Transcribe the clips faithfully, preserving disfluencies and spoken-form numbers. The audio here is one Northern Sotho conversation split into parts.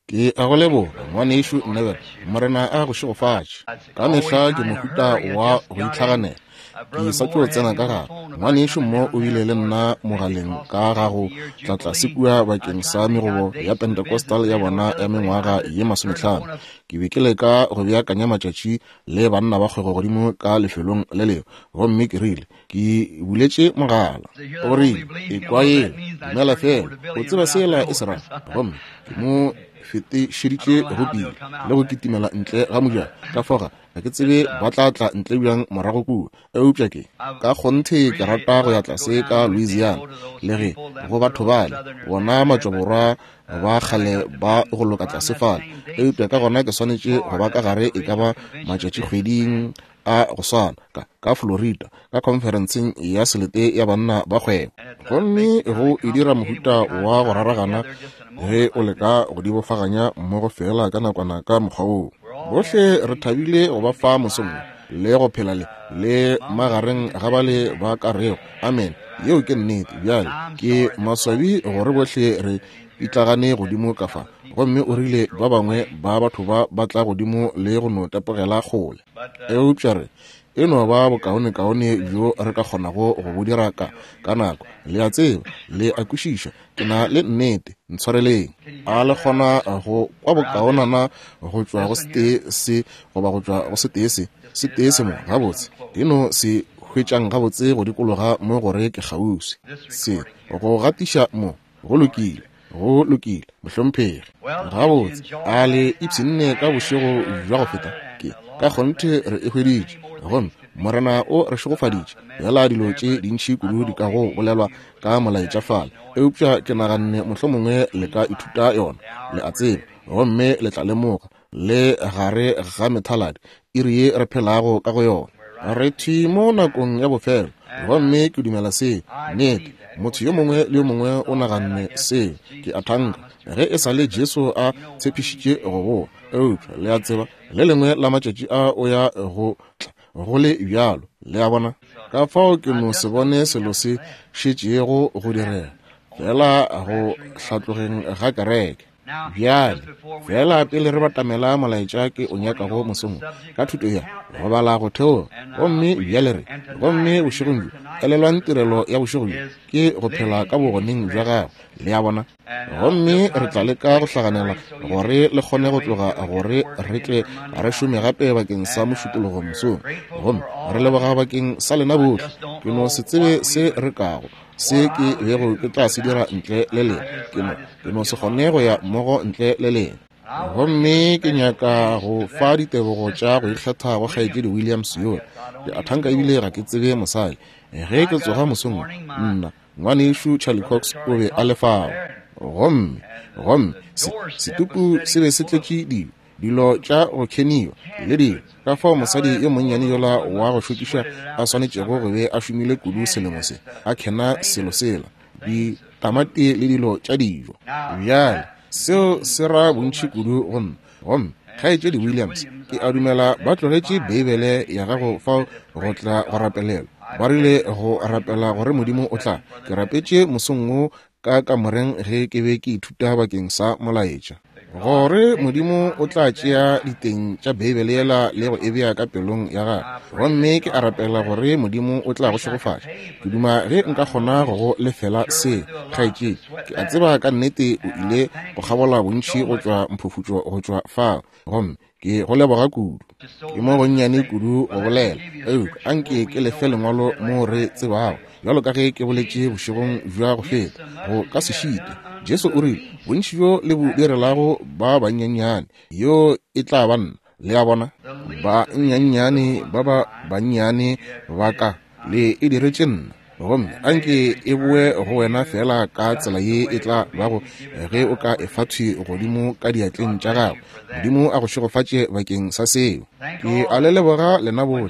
Ke a go leboga, ngwanešu Neville. Morena a go šegofatše. Ka mehla ke mohuta wa go itlhaganela. Ke sa tšo tsena ka gare. Ngwanešu mo o bile le nna mogaleng ka ga go tla tlase kua bakeng sa megobo ya Pentecostal ya bona ya mengwaga ye masomehlano. Ke be ke leka go beakanya matšatši le banna ba kgwebo godimo ka lefelong le lengwe, gomme ke rile ke buletše mogala. O rile, ekwa yela, dumela fela, o tseba sela e se ra. Gomme ke mo fetišeditše go pele le go kitimela ntle ga mojako. Ka foga ga ke tsebe ba tla tla ntle bjang morago kua, eupša ke ka kgonthe ke rata go ya tlase ka Louisiana le ge go batho bale bona matšwaborwa ba kgale ba go loka tlase fale, eupša ka gona ke swanetše go ba ka gare e ka ba matšatšikgweding a go swana ka, ka Florida ka khonferenseng ya selete ya banna ba kgwebo. Gomme go e dira mohuta wa go raragana ge o leka go di bofaganya mmogo fela ka nakwana ka mokgwa woo. Bohle re thabile go ba fa mosong le go phela le le magareng ga bale ba ka rego amen. Yeo ke nnete. Bjale ke maswabi gore bohle re pitlagane godimo ka fa, gomme o rile ba bangwe ba batho ba ba tla godimo le go no tepogela kgole, eupša re e no ba bokaonekaone bjo re ka kgonago go bo dira ka ka nako. Le a tseba, le a kwešiša, ke na le nnete, ntshwareleng. A le kgona go kwa bokaonana go tšwa go setee se goba go tšwa go setee se setee se mo gabotse? E no se hwetšang gabotse go dikologa mo gore ke kgauswi. Se go gatiša mo, go lokile, go lokile, mohlomphegi. Gabotse, a le ipshinne ka bošego bja go feta? Ke ka kgonthe re e hweditše, gomme Morena o re šegofaditše. Fela dilo tše dintši kudu di ka go bolelwa ka molaetša fale, eupša ke naganne mohlomongwe le ka ithuta yona, le a tseba, gomme le tla lemoga le gare ga methaladi iri ye re phelago ka go yona. Re thwi mo nakong ya bofelo, gomme ke dumela seo. Nnete, motho yo mongwe le yo mongwe o naganne seo. Ke a thanka ge e sa le Jesu a tshepišitše go boa, eupša le a tseba le lengwe la matšatši a o ya go tla go le bjalo, le a bona. Ka fao ke no se bone selo se šetšego go direga fela go hlatlogeng ga kereke. Bjale fela pele re batamela molaetša ke o nyakago mosong ka thuto ya go bala go theoga, gomme bjale re gomme bošegong bjo elelwang tirelo ya bošego bjo ke go phela ka bogoneng bja gagwe, le a bona. Gomme re tla leka go hlaganela gore le kgone go tloga gore re tle re šome gape bakeng sa mošupologo mosong. Gomme re leboga bakeng sa lena bohle. Ke no se tsebe se re kago se ke bego ke tla se dira ntle le lena. Ke no ke no se kgone go ya mmogo ntle le lena. Gomme ke nyaka go fa ditebogo tša go ikgetha go kgaetšedi Williams yola. Ke a thanka ebile ga ke tsebe mosadi. Ge ke tsoga mosong, nna ngwanešu Charlie Cox o be a le fao. Gomme gomme setupu se be se tletše dilo, dilo tša go keniwa le dilo. Ka fao mosadi yo monnyane yola wa go šokiša a swanetšego go be a šomile kudu selemo se, a kena selo sela, ditamati le dilo tša dijo. Bjale seo se ra bontši kudu go nna. Gomme kgaetšedi Williams, ke a dumela ba tlogetše Beibele ya gago fao go tla go rapelelwa. Ba rile go rapela gore Modimo o tla. Ke rapetše mosong wo ka kamoreng ge ke be ke ithuta bakeng sa molaetša, gore Modimo o tla tšea diteng tša Beibele yela le go e bea ka pelong ya gagwe. Gomme ke a rapela gore Modimo o tla go šegofatša. Ke duma ge nka kgona go go lefela se, kgaetšedi. Ke a tseba ka nnete o ile go kgabola bontši go tšwa mphufutšo go tšwa fao, gomme ke go leboga kudu. Ke mo gonnyane kudu go bolela, eupša anke ke lefe lengwalo mo re tsebago, bjalo ka ge ke boletše bošegong bja go feta, go ka se šite. Jesu o rile, bontši bjo le bo direlago ba banyenyane, yo e tla ba nna. Le a bona, ba nnyanyane ba ba bannyane ba ka le e diretše nna. Gomme anke e boe go wena fela ka tsela ye e tla bago ge o ka e fa thwi godimo ka diatleng tša gago. Modimo a go šegofatše bakeng sa seo. Ke a le leboga lena bohle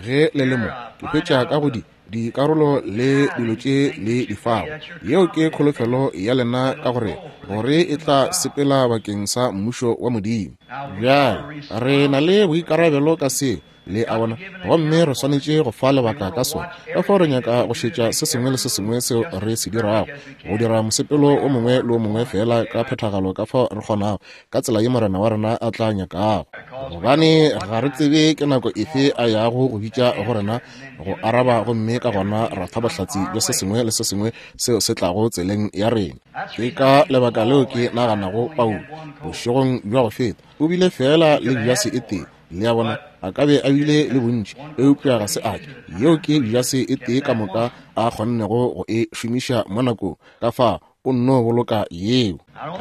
ge le le mo. Ke hwetša ka go di dikarolo le dilo tše le di fago. Yeo ke kholofelo ya lena ka gore gore e tla sepela bakeng sa mmušo wa Modimo. Bjale re na le boikarabelo ka seo Le a bona? Gomme re swanetše go fa lebaka ka sona. Ka fao re nyaka go šetša se sengwe le se sengwe seo re se dirago, go dira mosepelo o mongwe le o mongwe feela ka phethagalo ka fao re kgonago, ka tsela ye Morena wa rena a tla nyakago. Gobane ga re tsebe ke nako efe a yago go bitša go rena go araba, gomme ka gona ra fa bohlatse bja se sengwe le se sengwe seo se tlago tseleng ya rena. Ke ka lebaka leo ke naganago Paulo bošegong bja go feta o bile feela le jase e tee. Le a bona, a ka be a bile le bontši, eupša ga se a ke. Yeo ke jase e tee ka moka a kgonnego go e šomiša mo nakong. Ka fao o nno boloka yeo.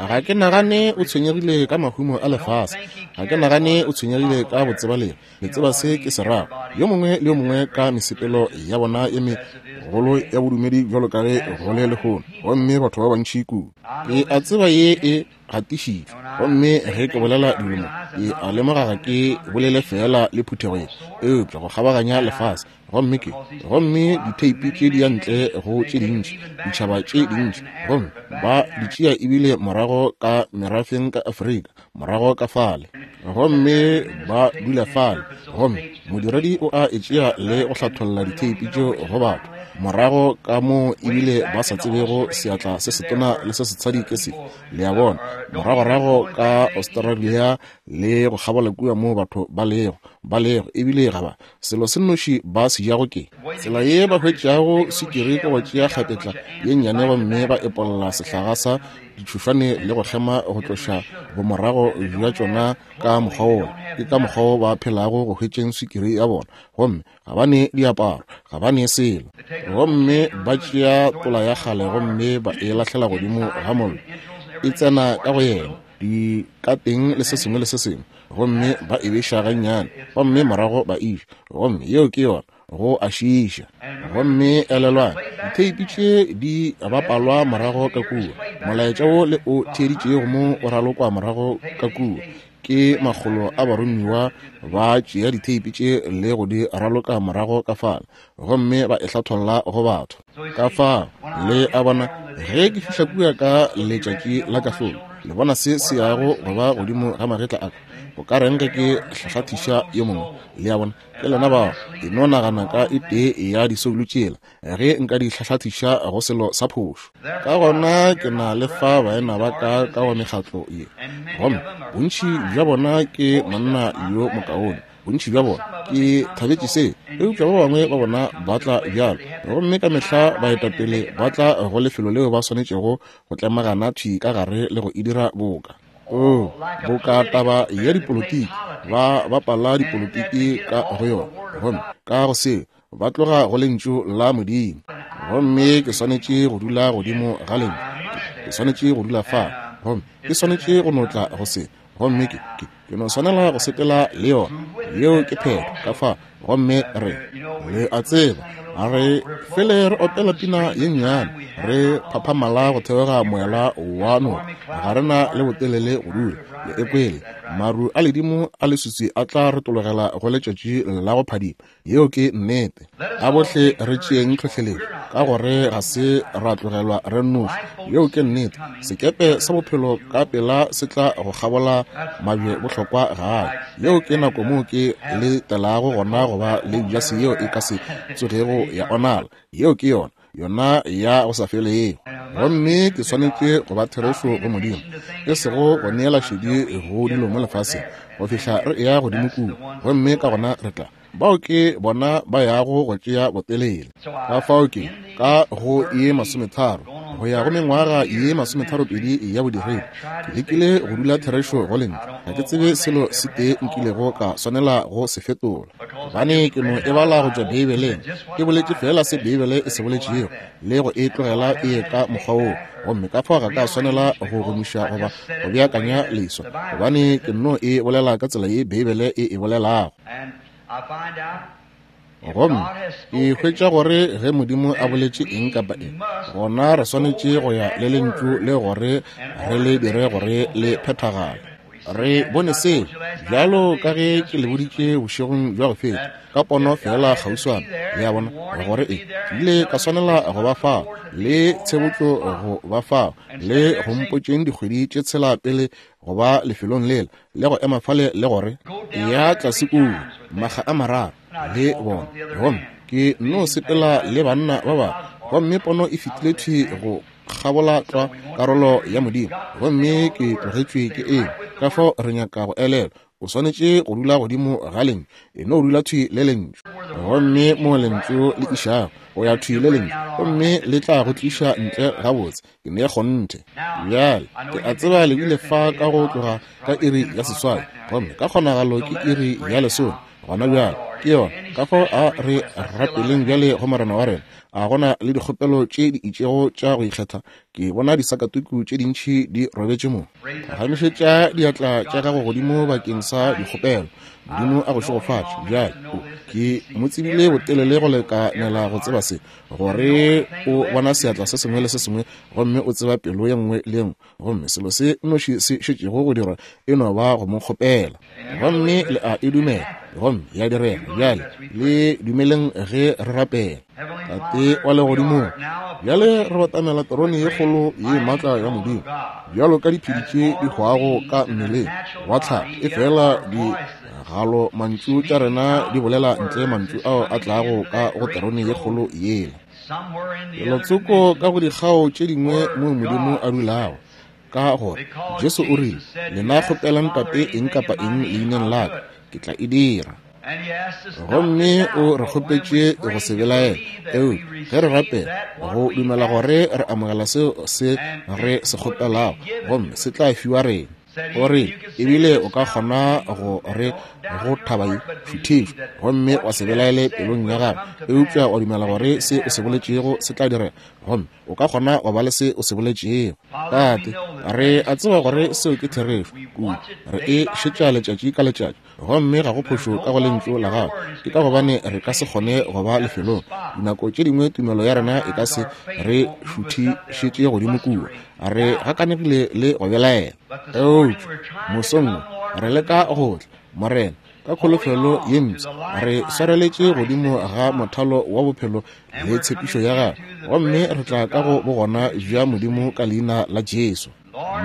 Ga ke nagane o tshwenyegile ka mahumo a lefase. Ga ke nagane o tshwenyegile ka botsebalegi. Le tseba se ke se rago. Yo mongwe le yo mongwe ka mesepelo ya bona ye megolo ya bodumedi bjalo ka ge go le lehono, gomme batho ba bantši kudu. Ke a tseba ye e gatišitšwe, gomme ge ke bolela dilo mo, ke a lemoga ga ke bolele feela le phuthego ye, eupša go kgabaganya lefase. Gomme ke gomme ditheipi tše di ya ntle go tše dintši, ditšhaba tše dintši, gomme ba di tšea ebile morago ka merafeng ka Afrika, morago ka fale, gomme ba dula fale. Gomme modiredi o a e tšea le go hlatholla ditheipi tšeo go batho morago ka moo ebile ba sa tsebego seatla se setona le se setshadi ke sefe. Le a bona, moragorago ka Australia le go kgabola kua moo batho ba lego ba lego ebile ga ba selo se nnoši ba se jago ke tsela ye ba hwetšago swikiri ke go tšea kgapetla ye nnyane gomme ba epolla sehlaga sa ditšhošwane le go kgema go tloša bomorago bja tšona ka mokgwa wola. Ke ka mokgwa wo ba phelago go hwetšeng swikiri ya bona, gomme ga ba ne diaparo, ga ba ne selo. Gomme ba tšea tola ya kgale gomme ba e lahlela godimo ga mollo, e tsena ka go yena di ka teng le se sengwe le se sengwe, gomme ba e beša gannyane, gomme morago ba iša, gomme yeo ke yona, go a šiiša. Gomme elelwang, ditheipi tše di bapalwa morago ka kua. Molaetša wo le o theeditšego mo o ralokwa morago ka kua ke makgolo a baromiwa ba tšea ditheipi tše le go di raloka morago ka fale, gomme ba e hlatholla go batho. Ka fao le a bona, ge ke fihla kua ka letšatši la kahlolo, le bona se se yago go ba godimo ga magetla a ka. Go ka reng ge ke hlahlathiša yo mongwe? Le a bona, ke lena bao. E no nagana ka e tee ya disoulo tšela ge nka di hlahlathiša go selo sa phošo. Ka gona ke na le fa baena ba ka ka go mekgatlo ye, gomme bontši bja bona ke monna yo mokaone. Bontši bja bona ke thabetše se, eupša ba bangwe ba bona ba tla bjalo, gomme ka mehla baetapele ba tla go lefelo leo ba swanetšego go tlemagana thwi ka gare le go e dira boka o boka taba ya dipolotiki, ba bapala dipolotiki ka go yona, gomme ka go seo ba tloga go lentšu la Modimo. Gomme ke swanetše go dula godimo ga lentšu, ke swanetše go dula fa, gomme ke swanetše go notla go se, gomme ke ke ke no swanela go sepela le yona. Yeo ke phetho ka fa. Gomme re le a tseba, re fele re opela pina ye nnyane, re phaphamala go theoga moela wa noka, ga re na le botelele go dula. Le ekwele maru a ledimo a leswiswi a tla retologela go letšatši la go phadima. Yeo ke nnete. A bohle re tšeeng tlhohleletšo, ka gore ga se ra tlogelwa re nnoši. Yeo ke nnete. Sekepe sa bophelo ka pela se tla go kgabola mabje bohlokwa gae. Yeo ke nako moo ke le telago gona go ba le jase yeo e ka se tsogego ya onala. Yeo ke yona, yona ya go sa felego. Gomme ke swanetše go ba therešo go Modimo, e sego go neela šedi go dilo mo lefaseng go fihla re eya godimo kua, gomme ka gona re tla. Bao ke bona ba yago go tšea botelele. Ka fao ke ka go ye masometharo go ya go mengwaga ye masometharopedi ya bodiredi, ke lekile go dula therešo go lentšu. Ga ke tsebe selo se tee nkilego ka swanela go se fetola, gobane ke no e bala go tšwa Beibeleng. Ke boletše feela se Beibele e se boletšego le go e tlogela e ye ka mokgwa woo, gomme ka fao ga ka swanela go gomiša goba go beakanya leswa, gobane ke no e bolela ka tsela ye Beibele e e bolelago. Gomme ke hwetša gore ge Modimo a boletše eng kapa eng, gona re swanetše go ya le lentšu le gore re le dire gore le phethagale. Re bone seo bjalo ka ge ke le boditše bošegong bja go feta ka pono fela kgauswana, le a bona, gore e ke ile ka swanela go ba fao le tshebotšo go ba fao le go mpotšeng dikgwedi tše tshela pele go ba lefelong lela le go ema fale le gore ya tlase kua makga a mararo le bona. Gomme ke no sepela le banna ba bangwe, gomme pono e fetile thwi go kgabola tlwa karolo ya Modimo, gomme ke tlogetšwe ke eng. Ka fao re nyaka go elelwa, o swanetše go dula godimo ga lentšu, e no dula thwi le lentšu, gomme mo lentšu le išago o ya thwi le lentšu, gomme le tla go tliša ntle gabotse. Ke ne kgonthe. Bjale ke a tseba le bile fa ka go tloga ka iri ya seswai, gomme ka kgonagalo ke iri ya lesome gona bjale ke yona. Ka fao a re rapeleng bjale go Morena wa rena. A gona le dikgopelo tše di itšego tša go ikgetha? Ke bona disakatuku tše dintši di robetše mo. Phagamišetša diatla tša gago godimo bakeng sa dikgopelo. Modimo a go šegofatše. Bjale ke mo tsebile botelele go lekanela go tseba se, gore o bona seatla se sengwe le se sengwe, gomme o tseba pelo ye nngwe le ye nngwe, gomme selo se nnoši se šetšego go dirwa e no ba go mo kgopela, gomme le a e dumela, gomme ya direga. Bjale le dumeleng ge re rapela. Tate wa legodimong, bjale re batamela terone ye kgolo ye maatla ya Modimo, bjalo ka diphedi tše di hwago ka mmeleng wa tlhago, e fela di galo mantšu tša rena di bolela ntle mantšu ao a tlago ka go terone ye kgolo yela. Lelotsoko ka go dikgao tše dingwe mo Modimo a dulago, ka gore Jesu o rile, lena kgopelang Tate eng kapa eng leineng la ka, ke tla e dira. Gomme o re kgopetše go se belaela, eupša ge re rapela go dumela gore re amogela seo se re se kgopelago, gomme se tla fiwa rena. O re ebile o ka kgona go re go thaba ye šuthišwa, gomme wa se belaele pelong ya gago, eupša wa dumela gore se o se boletšego se tla direga, gomme o ka kgona wa ba le se o se boletšego. Tate, re a tseba gore seo ke therešo kudu, re e šetša letšatši ka letšatši, gomme ga go phošo ka go lentšu la gago. Ke ka gobane re ka se kgone go ba lefelong. Dinako tše dingwe tumelo ya rena e ka se re šuthišetše godimo kua, re gakanegile le go belaela. Eupša mosong wo re leka go tla, Morena, ka kholofelo ye mpsha, re swareletše godimo ga mothalo wa bophelo le tshepišo ya gagwe, gomme re tla ka go bogona bja Modimo ka leina la Jesu.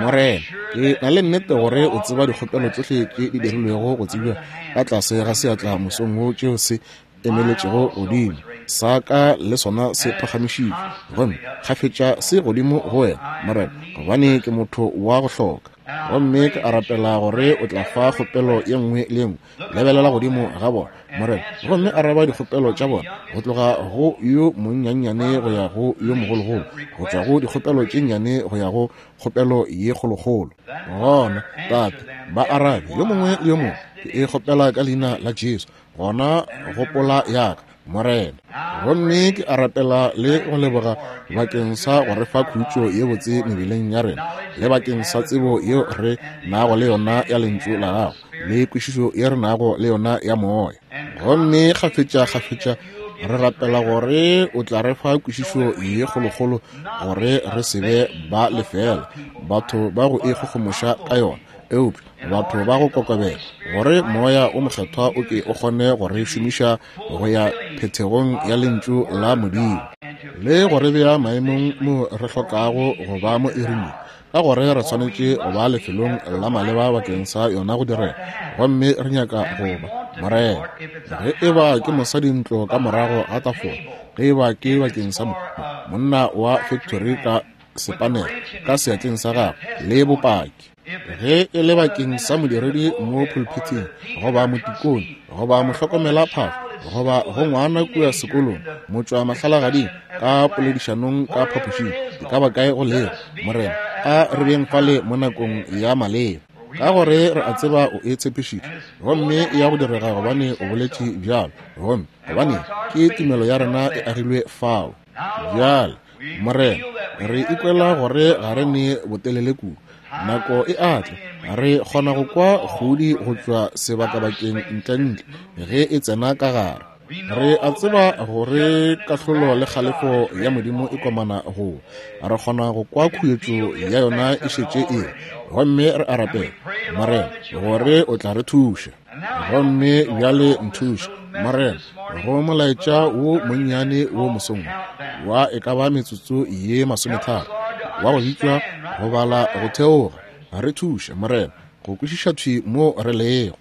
Morena, ke na le nnete gore o tseba dikgopelo tšohle tše di dirilwego go tsebja ka tlase ga seatla mosong wo tšeo se emeletšego godimo sa ka le sona se phagamišitšwe, gomme kgafetša se godimo go wena, Morena, gobane ke motho wa go hloka. Gomme ke a rapela gore o tla fa kgopelo ye nngwe le ye nngwe. Lebelela godimo ga bona, Morena, gomme araba dikgopelo tša bona, go tloga go yo monnyannyane go ya go yo mogologolo, go tšwa go dikgopelo tše nnyane go ya go kgopelo ye kgolokgolo. Gona, Tate, ba arabe yo mongwe le yo mongwe. Ke e kgopela ka leina la Jesu. Gona gopola ya ka, Morena. Gomme ke a rapela le go leboga bakeng sa go re fa khutšo ye botse mebeleng ya rena, le bakeng sa tsebo yeo re nago le yona ya lentšu la gago, le kwešišo ye re nago le yona ya moya. Gomme kgafetša kgafetša re rapela gore o tla re fa kwešišo ye kgolokgolo, gore re se be ba lefela, batho ba go ikgogomoša ka yona, eupša batho ba go kokobela, gore moya o mokgethwa o ke o kgone go re šomiša go ya phethegong ya lentšu la Modimo, le go re bea maemong mo re hlokago go ba mo iring, ka gore re swanetše go ba lefelong la maleba bakeng sa yona go direga. Gomme re nyaka go ba, Morena, ge e ba ke mosadi ntlo ka morago ga tafola, ge e ba ke bakeng sa monna wa factory ka sepanele ka seatleng sa gagwe le bopaki, ge e le bakeng sa modiredi mo pulpithing, goba motikone, goba mohlokomela phahlo, goba go ngwana kua sekolong, motšwa mahlalagading ka poledišanong ka phapošing, e ka ba kae go lego, Morena, a re beng fale mo nakong ya maleba, ka gore re a tseba o e tshepišitše, gomme e ya go direga gobane o boletše bjalo, gomme gobane ke tumelo ya rena e agilwe fao. Bjale, Morena, re ikwela gore ga re ne botelele kudu. Nako e atla, re kgona go kwa kgodi go tšwa sebakabakeng ntlentle ge e tsena ka gare. Re a tseba gore kahlolo le kgalefo ya Modimo e komana go. Re kgona go kwa khuetšo ya yona e šetše e, gomme re a rapela Morena, gore o tla re thuša. Gomme bjale nthuše, Morena, go molaetša wo monnyane wo mosong wa e ka ba metsotso ye masometharo wa go bitšwa go bala go theoga. Re thuše, Morena, go kwešiša thwi mo re lego.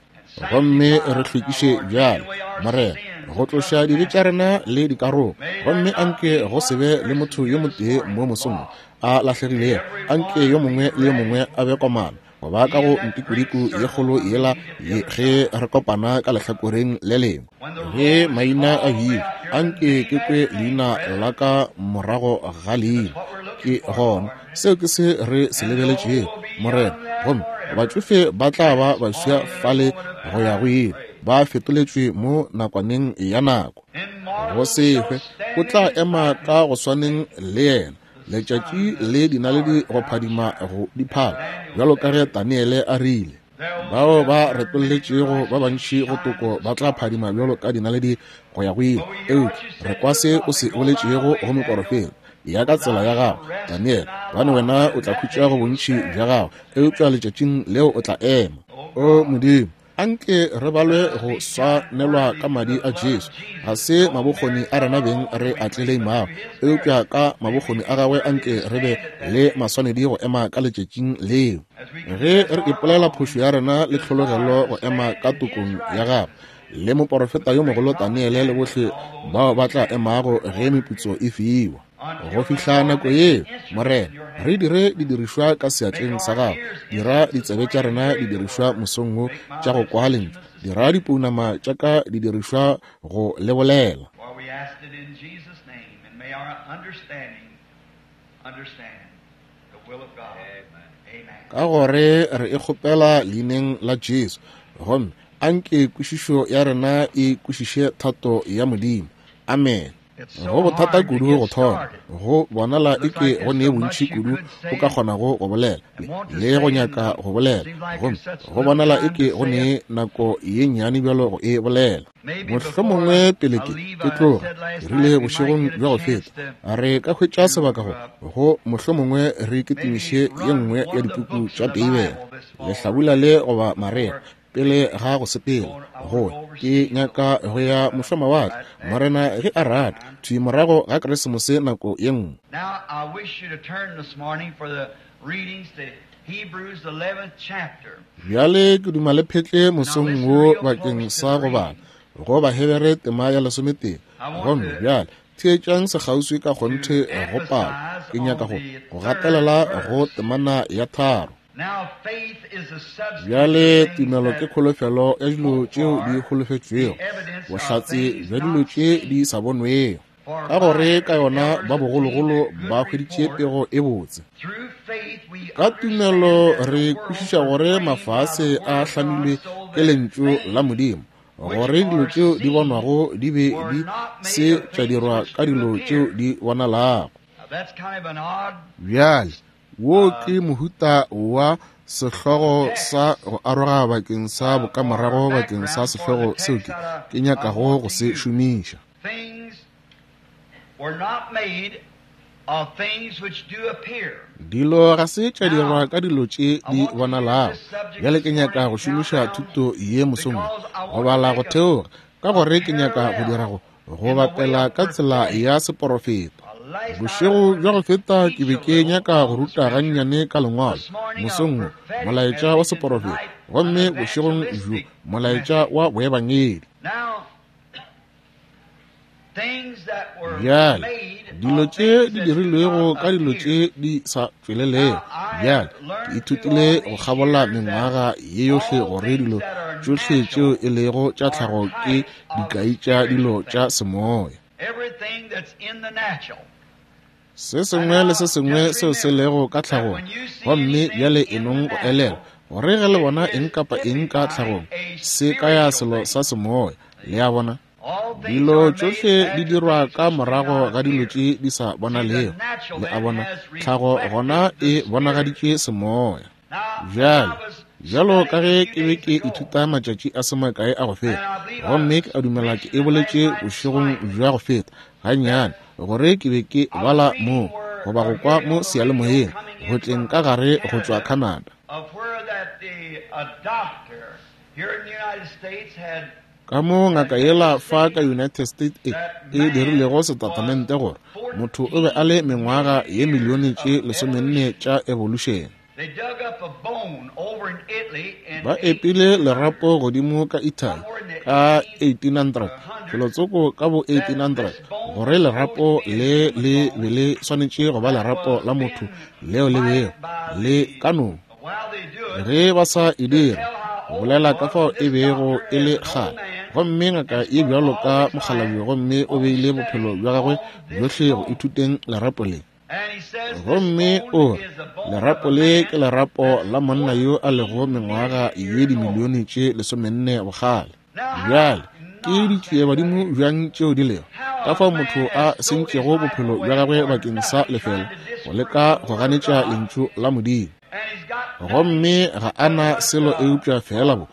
Gomme re hlwekiše bjale, Morena, go tloša dibe tša rena le dikarogo. Gomme anke go se be le motho yo motee mo mosong a lahlegilego. Anke yo mongwe le yo mongwe a be komana go ba ka go ntikodiko ye kgolo yela ge re kopana ka lehlakoreng le lengwe. Ge maina a bitšwa, anke ke kwe leina la ka morago ga leina. Ke gona seo ke se re se lebeletšego, Morena. Gomme batšofe ba tla ba baswa fale go ya go ile, ba fetoletšwe mo nakwaneng ya nako. Go se hwe o tla ema ka go swaneng le yena, letšatši le dinaledi go phadima go diphala, bjalo ka ge Daniele a rile. Bao ba retolletšego ba bantši go toko ba tla phadima bjalo ka dinaledi go ya go ile. Eupša re kwa se o se boletšego go moporofeta, ya ka tsela ya gago, Daniele, gobane wena o tla khutša go bontši bja gago, eupša letšatšing leo o tla ema. O Modimo, anke re balwe go swanelwa ka madi a Jesu. Ga se mabokgoni a rena beng re a tleleimago, eupša ka mabokgoni a gagwe anke re be le maswanedi go ema ka letšatšing leo. Ge re ipolela phošo ya rena le tlhologelo go ema ka tokong ya gagwe, le moporofeta yo mogolo Daniele le bohle bao ba tla emago ge meputso e fiwa. Go fihla nako yeo, Morena, re dire didirišwa ka seatleng sa gago. Dira ditsebe tša rena didirišwa mosong wo tša go kwa lentšu. Dira dipounama tša ka didirišwa go le bolela. Ka gore re e kgopela leineng la Jesu, gomme anke kwešišo ya rena e kwešiše thato ya Modimo. Amen. Go bothata kudu go thoma, go bonala eke go ne bontši kudu o ka kgonago go bolela le go nyaka go bolela, gomme go bonala eke go ne nako ye nnyane bjalo go e bolela. Mohlomongwe pele ke ke tloga, ke rile bošegong bja go feta, re ka hwetša sebaka go go mohlomongwe re kitimiše ye nngwe ya dipuku tša Beibele, lehlabula le goba marea, pele ga go sepela. Go ke nyaka go ya mošwamawatle, Morena ge a rata, thwi morago ga Keresemose nako ye nngwe. Bjale ke duma le phetle mosong wo bakeng sa go bala go Bahebere tema ya lesometee. Gomme bjale theetšang sekgauswi ka kgonthe go palo. Ke nyaka go go gatelela go temana ya tharo. Bjale tumelo ke kholofelo ya dilo tšeo di holofetšwego, bohlatse bja dilo tše di sa bonwego. Ka gore ka yona ba bogologolo ba hweditše pego e botse. Ka tumelo re kwešiša gore mafase a hlamilwe ke lentšu la Modimo, gore dilo tšeo di bonwago di be di se tša dirwa ka dilo tšeo di bonalago. Bjale wo ke mohuta wa sehlogo sa go aroga bakeng sa bokamorago bakeng sa sehlogo seo ke ke nyakago go se šomiša. Dilo ga se tša dirwa ka dilo tše di bonalago. Bjale ke nyaka go šomiša thuto ye mosong go bala go theoga, ka gore ke nyaka go dira go go bapela ka tsela ya seporofeta. Bošego bja go feta ke be ke nyaka go ruta gannyane ka lengwalo mosong wo, molaetša wa seporofeta, gomme bošegong bjo molaetša wa boebangedi. Bjale dilo tše di dirilwego ka dilo tše di sa tšwelelego. Bjale ke ithutile go kgabola mengwaga ye yohle gore dilo tšohle tšeo e lego tša tlhago ke dikai tša dilo tša semoya. Se sengwe le se sengwe seo se lego ka tlhagong. Gomme bjale enong go elelwa gore ge le bona eng kapa eng ka tlhagong, se kaya selo sa semoya. Le a bona? Dilo tšohle di dirwa ka morago ga dilo tše di sa bonalego. Le a bona? Tlhago gona e bonagaditše semoya. Bjale, bjalo ka ge ke be ke ithuta matšatši a se makae a go feta, gomme ke a dumela ke e boletše bošegong bja go feta gannyane, gore ke be ke bala mo goba go kwa mo seyalemoyeng go tleng ka gare go tšwa Canada. Ka mo ngaka yela fa ka United States e, e dirilego setatamente gore motho o be a le mengwaga ye milione tše lesomenne tša evolution. Ba epile lerapo godimo ka Italy ka eighteen hundred, felotsoko ka bo eighteen hundred, gore lerapo le le be le swanetše go ba lerapo la motho leo le bego le ka no. Ge ba sa e dira, bolela ka fao e bego e le kgale. Gomme ngaka ye bjalo ka mokgalabje, gomme o beile bophelo bja gagwe bjohle go ithuteng lerapo le. Gomme o re lerapo le ke lerapo la monna yo a lego mengwaga ye dimilione tše lesomenne bokgale. Bjale ke ditšiebadimo bjang tšeo di lego, ka fao motho a sentšego bophelo bja gagwe bakeng sa lefela go leka go ganetša lentšu la Modimo. Gomme ga a na selo eupša fela bo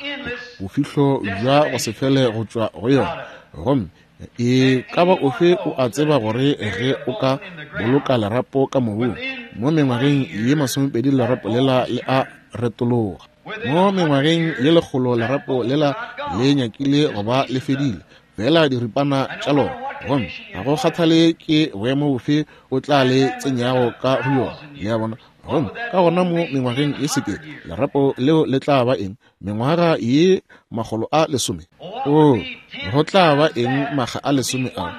bofihlo bja go se fele go tšwa go yona. Gomme e ka ba ofe o a tseba gore ge o ka boloka lerapo ka mobung mo mengwageng ye masomepedi lerapo lela le a retologa. Mo mengwageng ye lekgolo lerapo lela le nyakile go ba le fedile fela diripana tša lona. Gomme ga go kgathale ke boemo bofe o tla le tsenyago ka go yona, le a bona. Gomme ka gona mo mengwageng ye sekete lerapo leo le tla ba eng? Mengwaga ye makgolo a lesome. O go tla ba eng makga a lesome ao?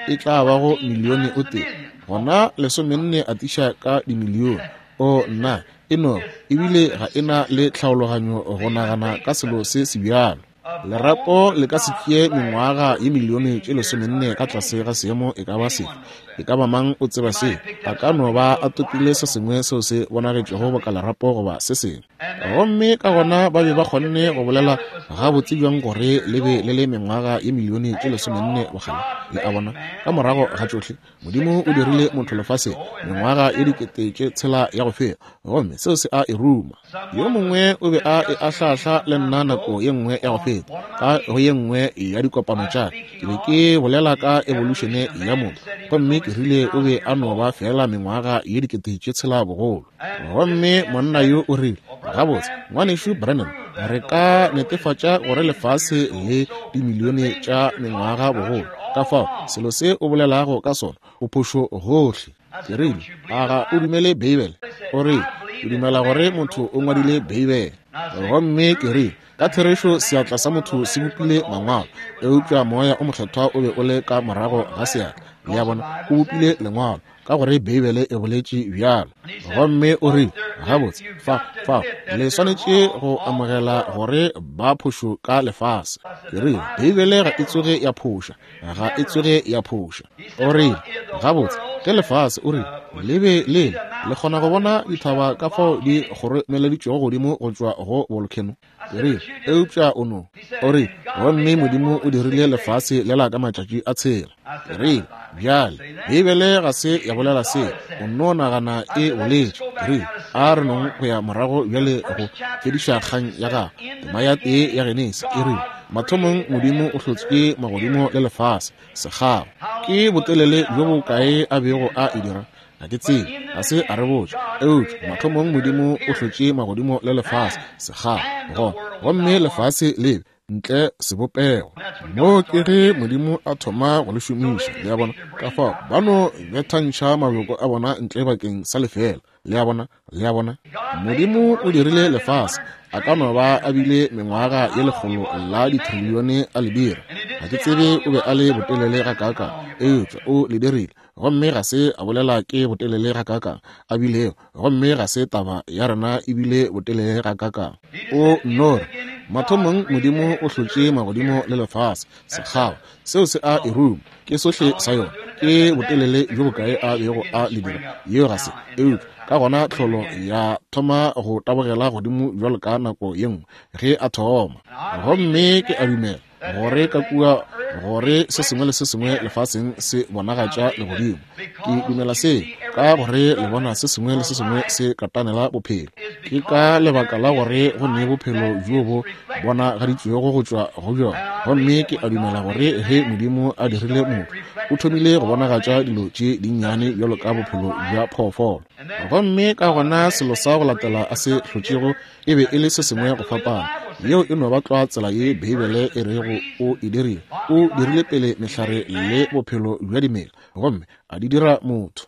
E tla ba go milione o tee. Gona lesomenne atiša ka dimilione. O nna e no ebile ga e na le tlhaologanyo go nagana ka selo se se bjalo. Lerapo le ka se tšee mengwaga ye milione tše lesomenne ka tlase ga seemo e ka ba sefe. E ka ba mang o tseba se? A ka no ba a topile se sengwe seo se bonagetšego boka lerapo goba se sengwe. Gomme ka gona ba be ba kgonne go bolela gabotse bjang gore le be le le mengwaga ye milione tše lesomenne bokgale. Le a bona, ka morago ga tšohle Modimo o dirile motho lefaseng mengwaga ye dikete tše tshela ya go feta, gomme seo se a e ruma. Yo mongwe o be a e ahlahla le nna nako ye nngwe ya go feta ka go ye nngwe ya dikopano tša ka. Ke be ke bolela ka evolution ya motho, gomme ke rile o be a no ba fela mengwaga ye dikete tše tshela bogolo. Gomme monna yo o rile, gabotse ngwanešu Branham, re ka netefatša gore lefase le dimilione tša mengwaga bogolo. Ka fao selo se o bolelago ka sona o phošo gohle. Ke rile, a ga o dumele Beibele? O rile, o dumela gore motho o ngwadile Beibele. Gomme ke rile, ka therešo seatla sa motho se bopile mangwalo, eupša moya o mokgethwa o be o le ka morago ga seatla. Le a bona, o bopile lengwalo ka gore Beibele e boletše bjalo. Gomme o rile, gabotse fa fa le swanetše go amogela gore ba phošo ka lefase. Ke rile, Beibele ga e tsoge ya phoša, ga e tsoge ya phoša. O rile, gabotse ke lefase, o rile, le be le le kgona go bona dithaba ka fao di kgoromeleditšwego godimo go tšwa go volcano. Ke rile, eupša o no. O rile, gomme Modimo o dirile lefase lela ka matšatši a tshela. Ke rile, bjale Beibele ga se ya bolela se, o no nagana e boletše. Ke rile, a re nong go ya morago bjale go fediša kgang ya gagwe. Tema ya tee ya Genesi e rile, mathomong Modimo o hlotše magodimo le lefase sekgao. Ke botelele bjo bokae a bego a e dira? Ga ke tsebe, ga se a re botša. Eupša mathomong Modimo o hlotše magodimo le lefase sekgao, gona gomme lefase le be ntle sebopego. Mo ke ge Modimo a thoma go le šomiša, le a bona. Ka fao ba no bethantšha mabjoko a bona ntle bakeng sa lefela, le a bona, le a bona. Modimo o dirile lefase, a ka no ba a bile mengwaga ye lekgolo la ditrilione a le dira. Ga ke tsebe o be a le botelele gakaakang, eupša o le dirile. Gomme ga se a bolela ke botelele gakaakang a bilego, gomme ga se taba ya rena ebile botelele gakaakang. O no re, mathomong Modimo o hlotše magodimo le lefase sekgao, seo se a e ruma, ke sohle sa yona. Ke botelele bjo bokae a bego a le dira, yeo ga se. Eupša ka gona tlholo ya thoma go tabogela godimo bjalo ka nako ye nngwe ge a thoma. Gomme ke a dumela gore ka kua gore se sengwe le se sengwe lefaseng se bonagatša legodimo. Ke dumela se ka gore le bona se sengwe le se sengwe se katanela bophelo. Ke ka lebaka la gore go ne bophelo bjo bo bonagaditšwego go tšwa go bjona. Gomme ke a dumela gore ge Modimo a dirile motho, o thomile go bonagatša dilo tše dinnyane bjalo ka bophelo bja phoofolo. Gomme ka gona selo sa go latela a se hlotšego e be e le se sengwe go fapana. Yeo e no ba tlwa tsela ye Beibele e rego o e dirile. O dirile pele mehlare le bophelo bja dimela, gomme a di dira motho.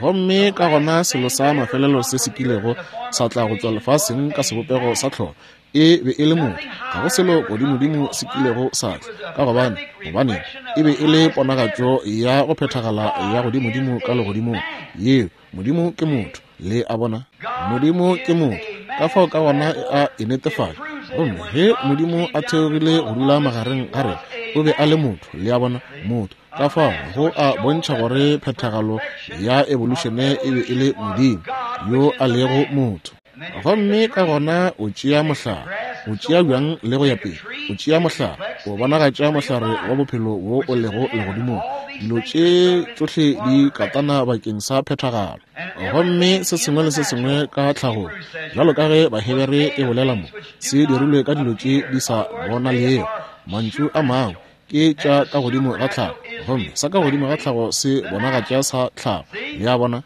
Gomme ka gona selo sa mafelelo se se kilego sa tla go tšwa lefaseng ka sebopego sa tlholo e be e le motho. Ga go selo godimodimo se kilego sa tla, ka gobane gobane e be e le ponagatšo ya go phethagala ya godimodimo ka legodimong. Yeo Modimo ke motho, le a bona. Modimo ke motho, ka fao ka gona a e netefatša. Gomme ge Modimo a theogile go dula magareng ga rena, o be a le motho, le a bona, motho. Ka fao go a bontšha gore phethagalo ya evolušene e be e le Modimo yo a lego motho. Gomme ka gona o tšea mohlare, o tšea bjang le go ya pele, o tšea mohlare, o bonagatša mohlare wa bophelo wo o lego legodimong. Dilo tše tšohle di katana bakeng sa phethagalo. Gomme se sengwe le se sengwe ka tlhagong, bjalo ka ge Bahebere e bolela mo, se dirilwe ka dilo tše di sa bonalego. Mantšu a mangwe ke tša ka godimo ga tlhago, gomme sa ka godimo ga tlhago se bonagatša sa tlhago. Le a bona?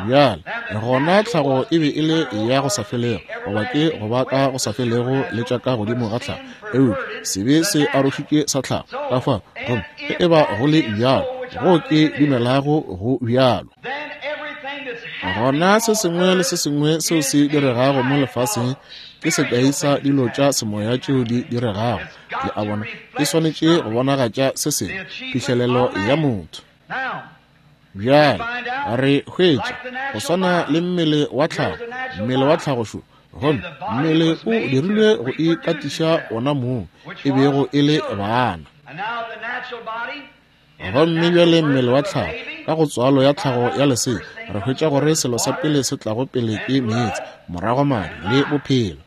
Bjale gona tlhago e be e le ya go sa felego, goba ke go ba ka go sa felego le tša ka godimo ga tlhago, eupša sebe se arošitše sa tlhago. Ka fao gomme ge e ba go le bjalo, go ke dumelago go bjalo, gona se sengwe le se sengwe seo se diregago mo lefaseng ke sekai sa dilo tša semoya tšeo di diregago. Le a bona, e swanetše go bonagatša se sengwe, phihlelelo ya motho. Bjale re hwetša go swana le mmele wa tlhago, mmele wa tlhago šo, gomme mmele o dirilwe go ikatiša ona mong, e bego e le bana. Gomme bjale mmele wa tlhago, ka go tswalo ya tlhago ya lesea, re hwetša gore selo sa pele se tlago pele ke meetse, morago madi le bophelo.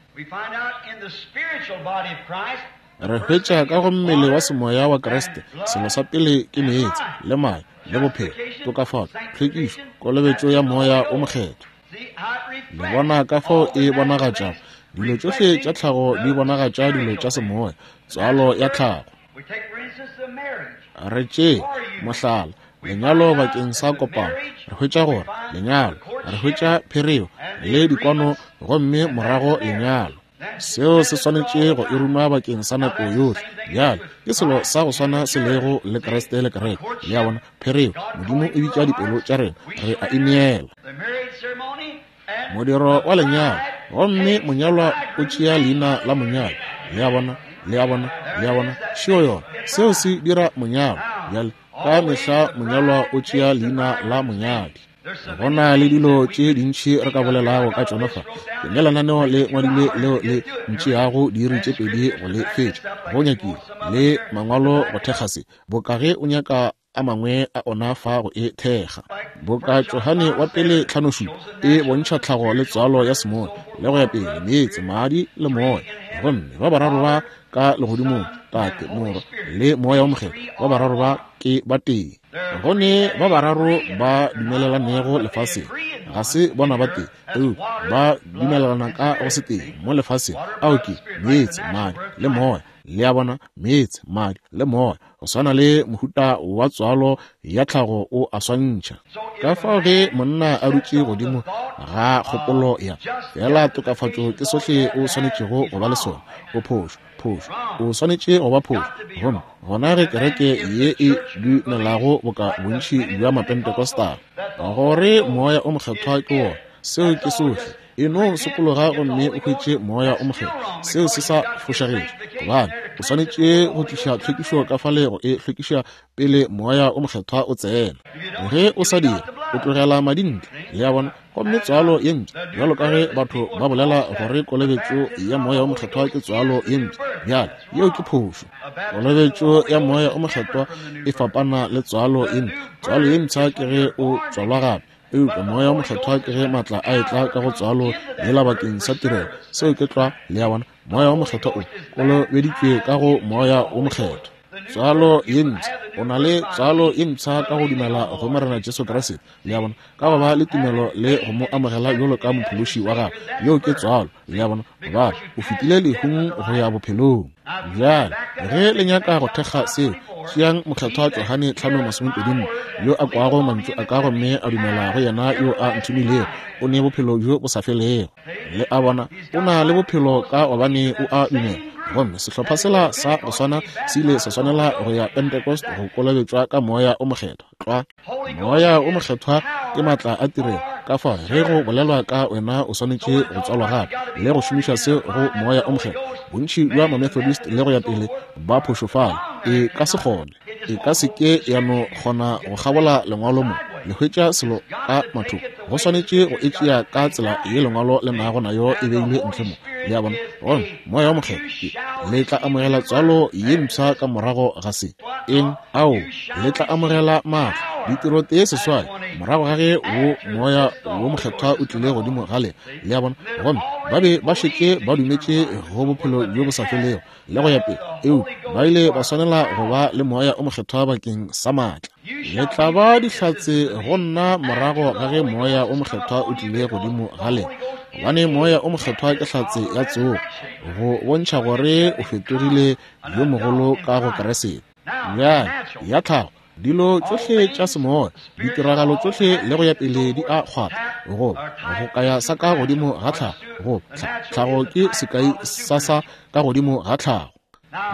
Re hwetša ka go mmele wa semoya wa Kriste, selo sa pele ke meetse le madi le bophelo, tokafatšo, tlhwekišo, kolobetšo ya Moya o Mokgethwa. Le bona ka fao e bonagatšago dilo tšohle tša tlhago di bonagatša dilo tša semoya, tswalo ya tlhago. Re tšee mohlala lenyalo bakeng sa kopano. Re hwetša gore lenyalo, re hwetša phereo le dikwano, gomme morago lenyalo. Seo se swanetše go e ruma bakeng sa nako yohle. Bjale ke selo sa go swana se lego le Kriste le kereke. Le a bona, phereo, Modimo e bitša dipelo tša rena, re a ineela. Modiro wa lenyalo, gomme monyalwa o tšea leina la monyalwa. Le a bona, le a bona, le a bona, šeo yona. Seo se dira monyalwa. Bjale ka mehla monyalwa o tšea leina la monyadi. Go na le dilo tše dintši re ka bolelago ka tšona fa. Ke ne lenaneo le ngwadilwe leo le ntšeago diiri tše pedi go le fetša. Go nyakile le mangwalo go thekga se, boka ge o nyaka a mangwe a ona fa go e thekga. Boka Johane wa pele tlhanošupa e bontšha tlhago le tswalo ya semoya le go ya pele, meetse, madi le moya. Gomme ba bararo ba ka legodimong, Tate, Morwa le Moya o Mokgethwa, ba bararo ba ke ba tee. Go ne ba bararo ba dumelelanego lefaseng, ga se bona ba tee, eupša ba dumelelana ka go se tee mo lefaseng. Ao ke meetse, madi le moya. Le a bona, meetse, madi le moya, go swana le mohuta wa tswalo ya tlhago o a swantšha. Ka fao ge monna a dutše godimo ga kgopolo ya fela tokafatšo ke sohle o swanetšego go ba le sona, o phošo, phošo, o swanetše go ba phošo. Gomme gona ge kereke ye e dumelago boka bontši bja Mapentecostal gore Moya o Mokgethwa ke wona, seo ke sohle. E no sokologa gomme o hwetše Moya o Mokgethwa. Seo se sa fošagetše, gobane o swanetše go tliša tlhwekišo ka fale go e hlwekiša pele Moya o Mokgethwa o tsena. Ge o sa dire, o tlogela madi ntle. Le a bona? Gomme tswalo ye mpsha, bjalo ka ge batho ba bolela gore kolobetšo ya Moya o Mokgethwa ke tswalo ye mpsha, bjale yeo ke phošo. Kolobetšo ya Moya o Mokgethwa e fapana le tswalo ye mpsha. Tswalo ye mpsha ke ge o tswalwa gape. Eupša Moya wo Mokgethwa ke ge maatla a etla ka go tswalo yela bakeng sa tirelo. Seo ke tlwa, le a bona. Moya wo Mokgethwa o kolobeditšwe ka go Moya wo Mokgethwa. Tswalo ye mpsha, o na le tswalo ye mpsha ka go dumela go Morena Jesu Kriste, le a bona, ka go ba le tumelo le go mo amogela bjalo ka mophološi wa gago. Yeo ke tswalo, le a bona, gobane o fetile lehung go ya bophelong. Bjale ge le nyaka go thekga seo, tšeang Mokgethwa Johane tlhano masomepedi nne, yo a kwago mantšu a ka gomme a dumela go yena yo a nthomilego, o ne bophelo bjo bo sa felego. Le a bona, o na le bophelo ka gobane o a dumela. Gomme sehlopha sela sa go swana se ile sa swanela go ya Pentecost go kolobetšwa ka Moya o Mokgethwa. Tlwa. Moya o Mokgethwa ke maatla a tirelo. Ka fao ge go bolelwa ka wena o swanetše go tswalwa gape le go šomiša se go Moya o Mokgethwa. Bontši bja ma-Methodist le go ya pele ba phošofala. E ka se kgone, e ka se ke ya no kgona go kgabola lengwalo mo. Le hwetša selo ka mathoko. Go swanetše go e tšea ka tsela ye lengwalo le nago nayo e beilwe ntle mo. Le a bona? Gomme Moya wo Mokgethwa, le tla amogela tswalo ye mpsha ka morago ga se. Eng? Ao, le tla amogela maatla, ditiro tee seswai, morago ga ge wo Moya wo Mokgethwa o tlile godimo ga lena. Le a bona? Gomme ba be ba šetše ba dumetše go bophelo bjo bo sa felego le go ya pele, eupša ba ile ba swanela go ba le Moya o Mokgethwa bakeng sa maatla. Le tla ba dihlatse go nna morago ga ge Moya o Mokgethwa o tlile godimo ga lena, gobane Moya o Mokgethwa ke hlatse ya tsogo, go bontšha gore o fetogile yo mogolo ka go Kriste. Bjale ya tlhago, dilo tšohle tša semoya, ditiragalo tšohle le go ya pele di a kgwatha, go go kaya sa ka godimo ga tlhago, go tlhago ke sekai sa sa ka godimo ga tlhago.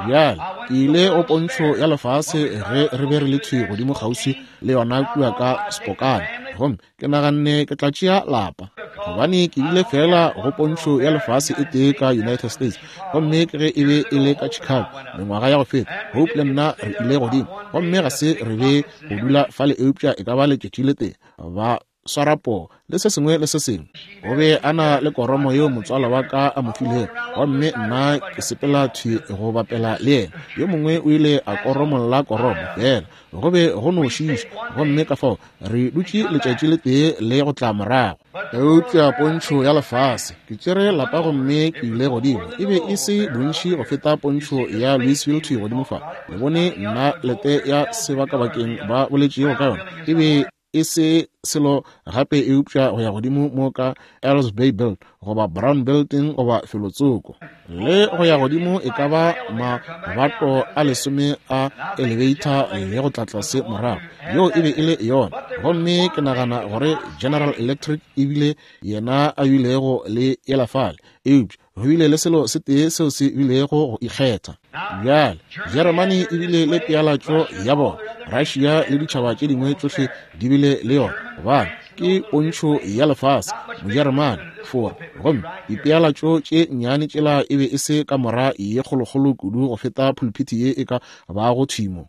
Bjale ke ile go pontšho ya lefase ge re be re le thwi godimo kgauswi le yona kua ka Spokane, gomme ke naganne ke tla tšea lapa, gobane ke bile fela go pontšho ya lefase e tee ka United States, gomme ke ge e be e le ka Chicago mengwaga ya go feta. Hope le nna re ile godimo, gomme ga se re be go dula fale eupša e ka ba letšatši le tee, ba swara poo le se sengwe le se sengwe. O be a na le koromo yeo motswala wa ka a mo filego, gomme nna ke sepela thwi go bapela le yena. Yo mongwe o ile a koromolla koromo fela, go be go no šiša, gomme ka fao re dutše letšatši le tee le go tla morago. Eupša pontšho ya lefase, ke tšere lapa gomme ke ile godimo, e be e se bontši go feta pontšho ya Louisville thwi godimo fa. Le bone nna lete ya sebakabakeng ba boletšego ka yona, e be e se selo gape eupša go ya godimo mo ka Earls Bay Build goba Brown Building goba felotsoko, le go ya godimo e ka ba mabato a lesome a elevator le go tla tlase morago. Yeo e be e le yona. Gomme ke nagana gore General Electric ebile yena a bilego le yela fale, eupša go bile le selo se tee seo se bilego go ikgetha. Bjale Jeremane e bile le pealatšo ya bona, Russia le ditšhaba tše dingwe tšohle di bile le yona, gobane ke pontšho ya lefase, Mojeremane, Fora. Gomme dipealatšo tše nnyane tšela e be e se kamora ye kgolokgolo kudu go feta pulpiti ye e ka bago thimo.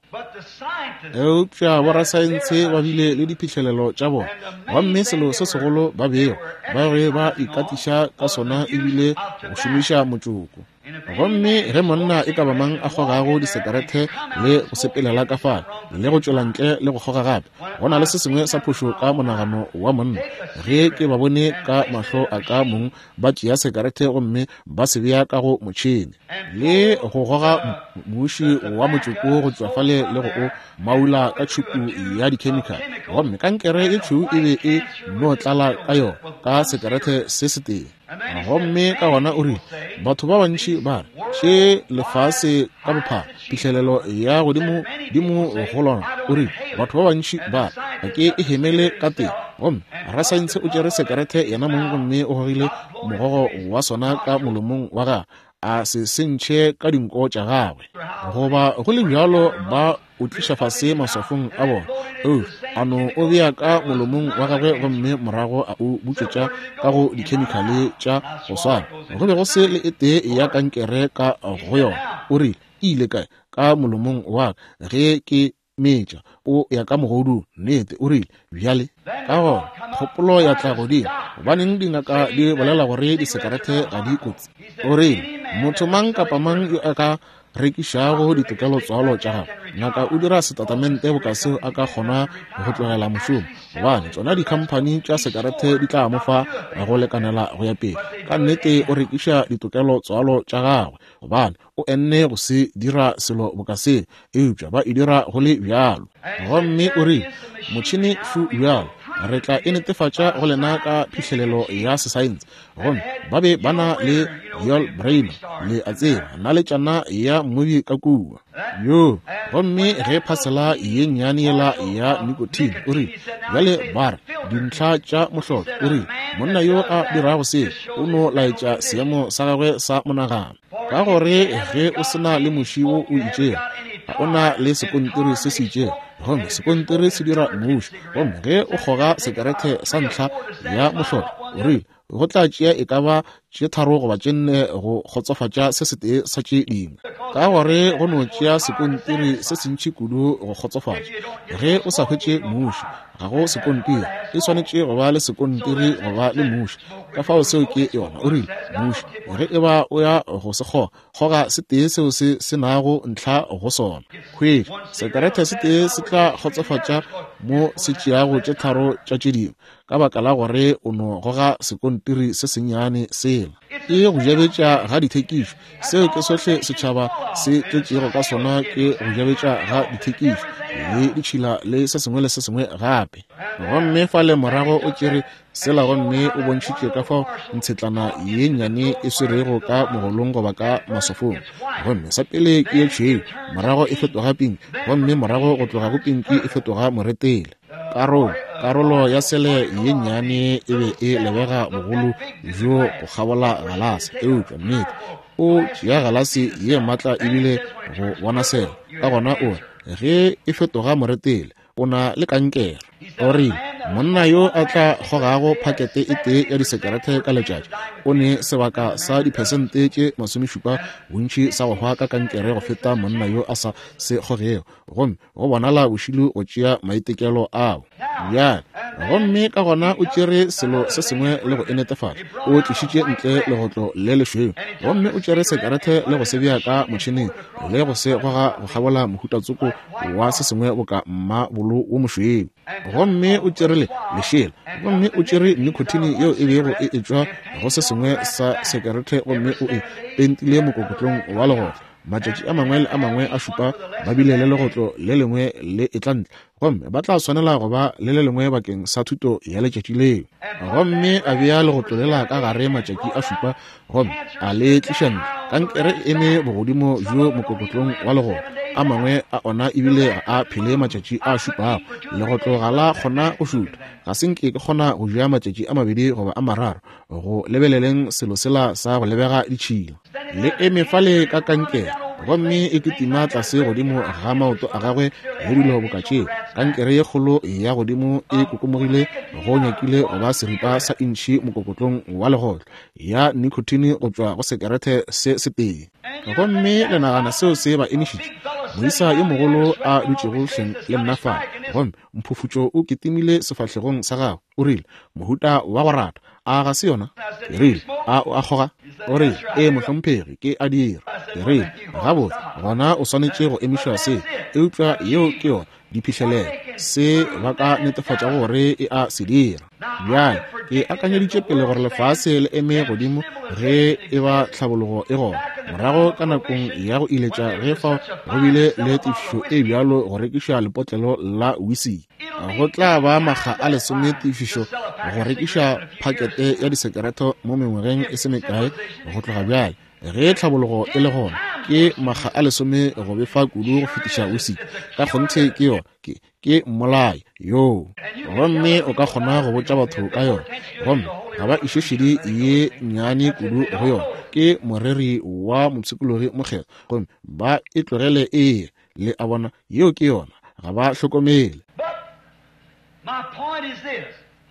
Eupša borasaense ba bile le diphihlelelo tša bona, gomme selo se segolo ba bego ba be ba ikatiša ka sona ebile go šomiša motšoko. Gomme ge monna e ka ba mang a kgogago disekerete le go sepelela ka fale le go tšwela ntle le go kgoga gape, go na le se sengwe sa phošo ka monagano wa monna. Ge ke ba bone ka mahlo a ka mong ba tšea sekerete gomme ba se bea ka go motšhene le go goga muši wa motšoko go tšwa fale le go o maula ka tšhupu ya dikhemikhale, gomme kankere e tšhweu e be e no tlala ka yona ka sekerete se setee. Gomme ka gona o rile, batho ba bantši ba re še lefase ka bophara, phihlelelo ya godimo dimo go lona. O rile, batho ba bantši ba re ga ke e hemele ka teng. Gomme rasaense o tšere sekerete yena mong gomme o gogile mogogo wa sona ka molomong wa gagwe, a se sentšhe ka dinko tša gagwe. Goba go le bjalo ba o tliša fase maswafong a bona, o a no o bea ka molomong wa gagwe gomme morago a o butšwetša ka go dikhemikhale tša go swana. Go be go se le e tee ya kankere ka go yona. O rile, e ile kae? Ka molomong wa ka ge ke metša, o ya ka mogodung. Nnete, o rile, bjale ka gona kgopolo ya tla godimo, gobaneng dingaka di bolela gore disekerete ga di kotsi? O rile, motho mang kapa mang yo a ka rekišago ditokelotswalo tša gagwe. Ngaka o dira setatamente boka seo a ka kgona go tlogela mošomo, gobane tšona dikhamphani tša sekarete di tla mo fa go lekanela go ya pele. Ka nnete o rekiša ditokelotswalo tša gagwe, gobane o enne go se dira selo boka seo, eupša ba e dira go le bjalo. Gomme o rile, motšhene šu bjalo, re tla e netefatša go lena ka phihlelelo ya sesaense. Gomme ba be ba na le Yul Brynner, le a tseba, naletšana ya mmobi ka kua yo. Gomme ge phasela ye nnyane yela ya nicotine, o rile, bjale ba re dintlha tša mohlolo, o rile, monna yo a dirago se o no laetša seemo sa gagwe sa monagano, ka gore ge o se na le moši wo o itšego, ga o na le sekontiri se se itšego, gomme sekontiri se dira moši. Gomme ge o kgoga sekerete sa ntlha ya mohlolo, o rile, go tla tšea e ka ba tše tharo goba tše nne go kgotsofatša se setee sa tše dingwe, ka gore go no tšea sekontiri se sentši kudu go kgotsofatša. Ge o sa hwetše moši, ga go sekontiri, e swanetše go ba le sekontiri go ba le moši. Ka fao seo ke yona. O rile, moši, ge e ba o ya go se kgoga, kgoga se tee seo se se nago ntlha go sona. Hwetša sekerete se tee se tla kgotsofatša mo se tšeago tše tharo tša tše dingwe, ka baka la gore o no goga sekontiri se sennyane sela. Ke go jabetša ga dithekišo. Seo ke sohle setšhaba se tletšego ka sona, ke go jabetša ga dithekišo le ditšhila le se sengwe le se sengwe gape. Gomme fale morago o tšere sela gomme o bontšhitše ka fao ntshetlana ye nnyane e swerego ka mogolong goba ka masofong. Gomme sa pele ke ye tšhweu, morago e fetoga pinki, gomme morago go tloga go pinki e fetoga moretele. Karolo karolo ya sele ye nnyane e be e lebega bogolo bjo go kgabola galase, eupša nnete o tšea galase ye maatla ebile go bona sele. Ka gona o re, ge e fetoga moretele, o na le kankere. O rile, monna yo a tla kgogago phakete e tee ya disekerete ka letšatši o ne sebaka sa diphesente tše masomešupa bontši sa go hwa ka kankere go feta monna yo a sa se kgogego. Gomme go bonala bošilo go tšea maitekelo ao. Bjale, gomme ka gona o tšere selo se sengwe le go e netefatša. O tlišitše ntle legotlo le lešweu, gomme o tšere sekerete le go se bea ka motšheneng le go se goga go kgabola mohutatsoko wa se sengwe boka mmabolo wo mošweu. Gomme o tšere le lešela, gomme o tšere nicotine yeo e bego e etšwa go se sengwe sa sekerete, gomme o e pentile mokokotlong wa legotlo. Matšatši a mangwe le a mangwe a šupa ba bile le legotlo le lengwe le etla ntle, gomme ba tla swanela go ba le le lengwe bakeng sa thuto ya letšatši leo. Gomme a bea legotlo lela ka gare matšatši a šupa, gomme a le tliša ntle. Kankere e eme bogodimo bjo mokokotlong wa legotlo, a mangwe a ona ebile ga a phele matšatši a šupago. Legotlo ga la kgona go šutha. Ga se nke ke kgona go ja matšatši a mabedi goba a mararo go lebeleleng selo sela sa go lebega ditšhila. Le eme fale ka kankere, gomme e kitima tlase godimo ga maoto a gagwe le dilo boka tšeo. Kankere ye kgolo ya godimo e kokomogile go nyakile go ba seripa sa intšhi mokokotlong wa legotlo ya nicotine go tšwa go sekerete se setee. Gomme le nagana seo se ba emišitše? Moisa yo mogolo a dutšego hleng le nna fa, gomme mphufutšo o kitimile sefahlegong sa gagwe. O rile, mohuta wa go rata, a ga se yona? Ke rile, a o a kgoga? O rile, ee mohlomphegi, ke a dira. Ke rile, gabotse, gona o swanetše go emiša se, eupša yeo ke yona diphihlelelo se ba ka netefatša gore e a se dira. Bjale ke akanyeditše pele gore lefase le eme godimo ge e ba tlhabologo e gona. Morago ka nakong ya go iletša ge fao go bile le tefišo e bjalo go rekiša lepotlelo la whisky, go tla ba makga a lesome tefišo go rekiša phakete ya disekerete mo mengwageng e se mekae go tloga bjale. Ge tlhabologo e le gona, ke makga a lesome go befa kudu go fetiša whisky. Ka kgonthe ke yona, ke ke mmolai yoo. Gomme o ka kgona go botša batho ka yona, gomme ga ba iše šedi ye nnyane kudu go yona. Ke moreri wa mopshikologi mokgethwa, gomme ba e tlogele e le a bona. Yeo ke yona, ga ba hlokomele.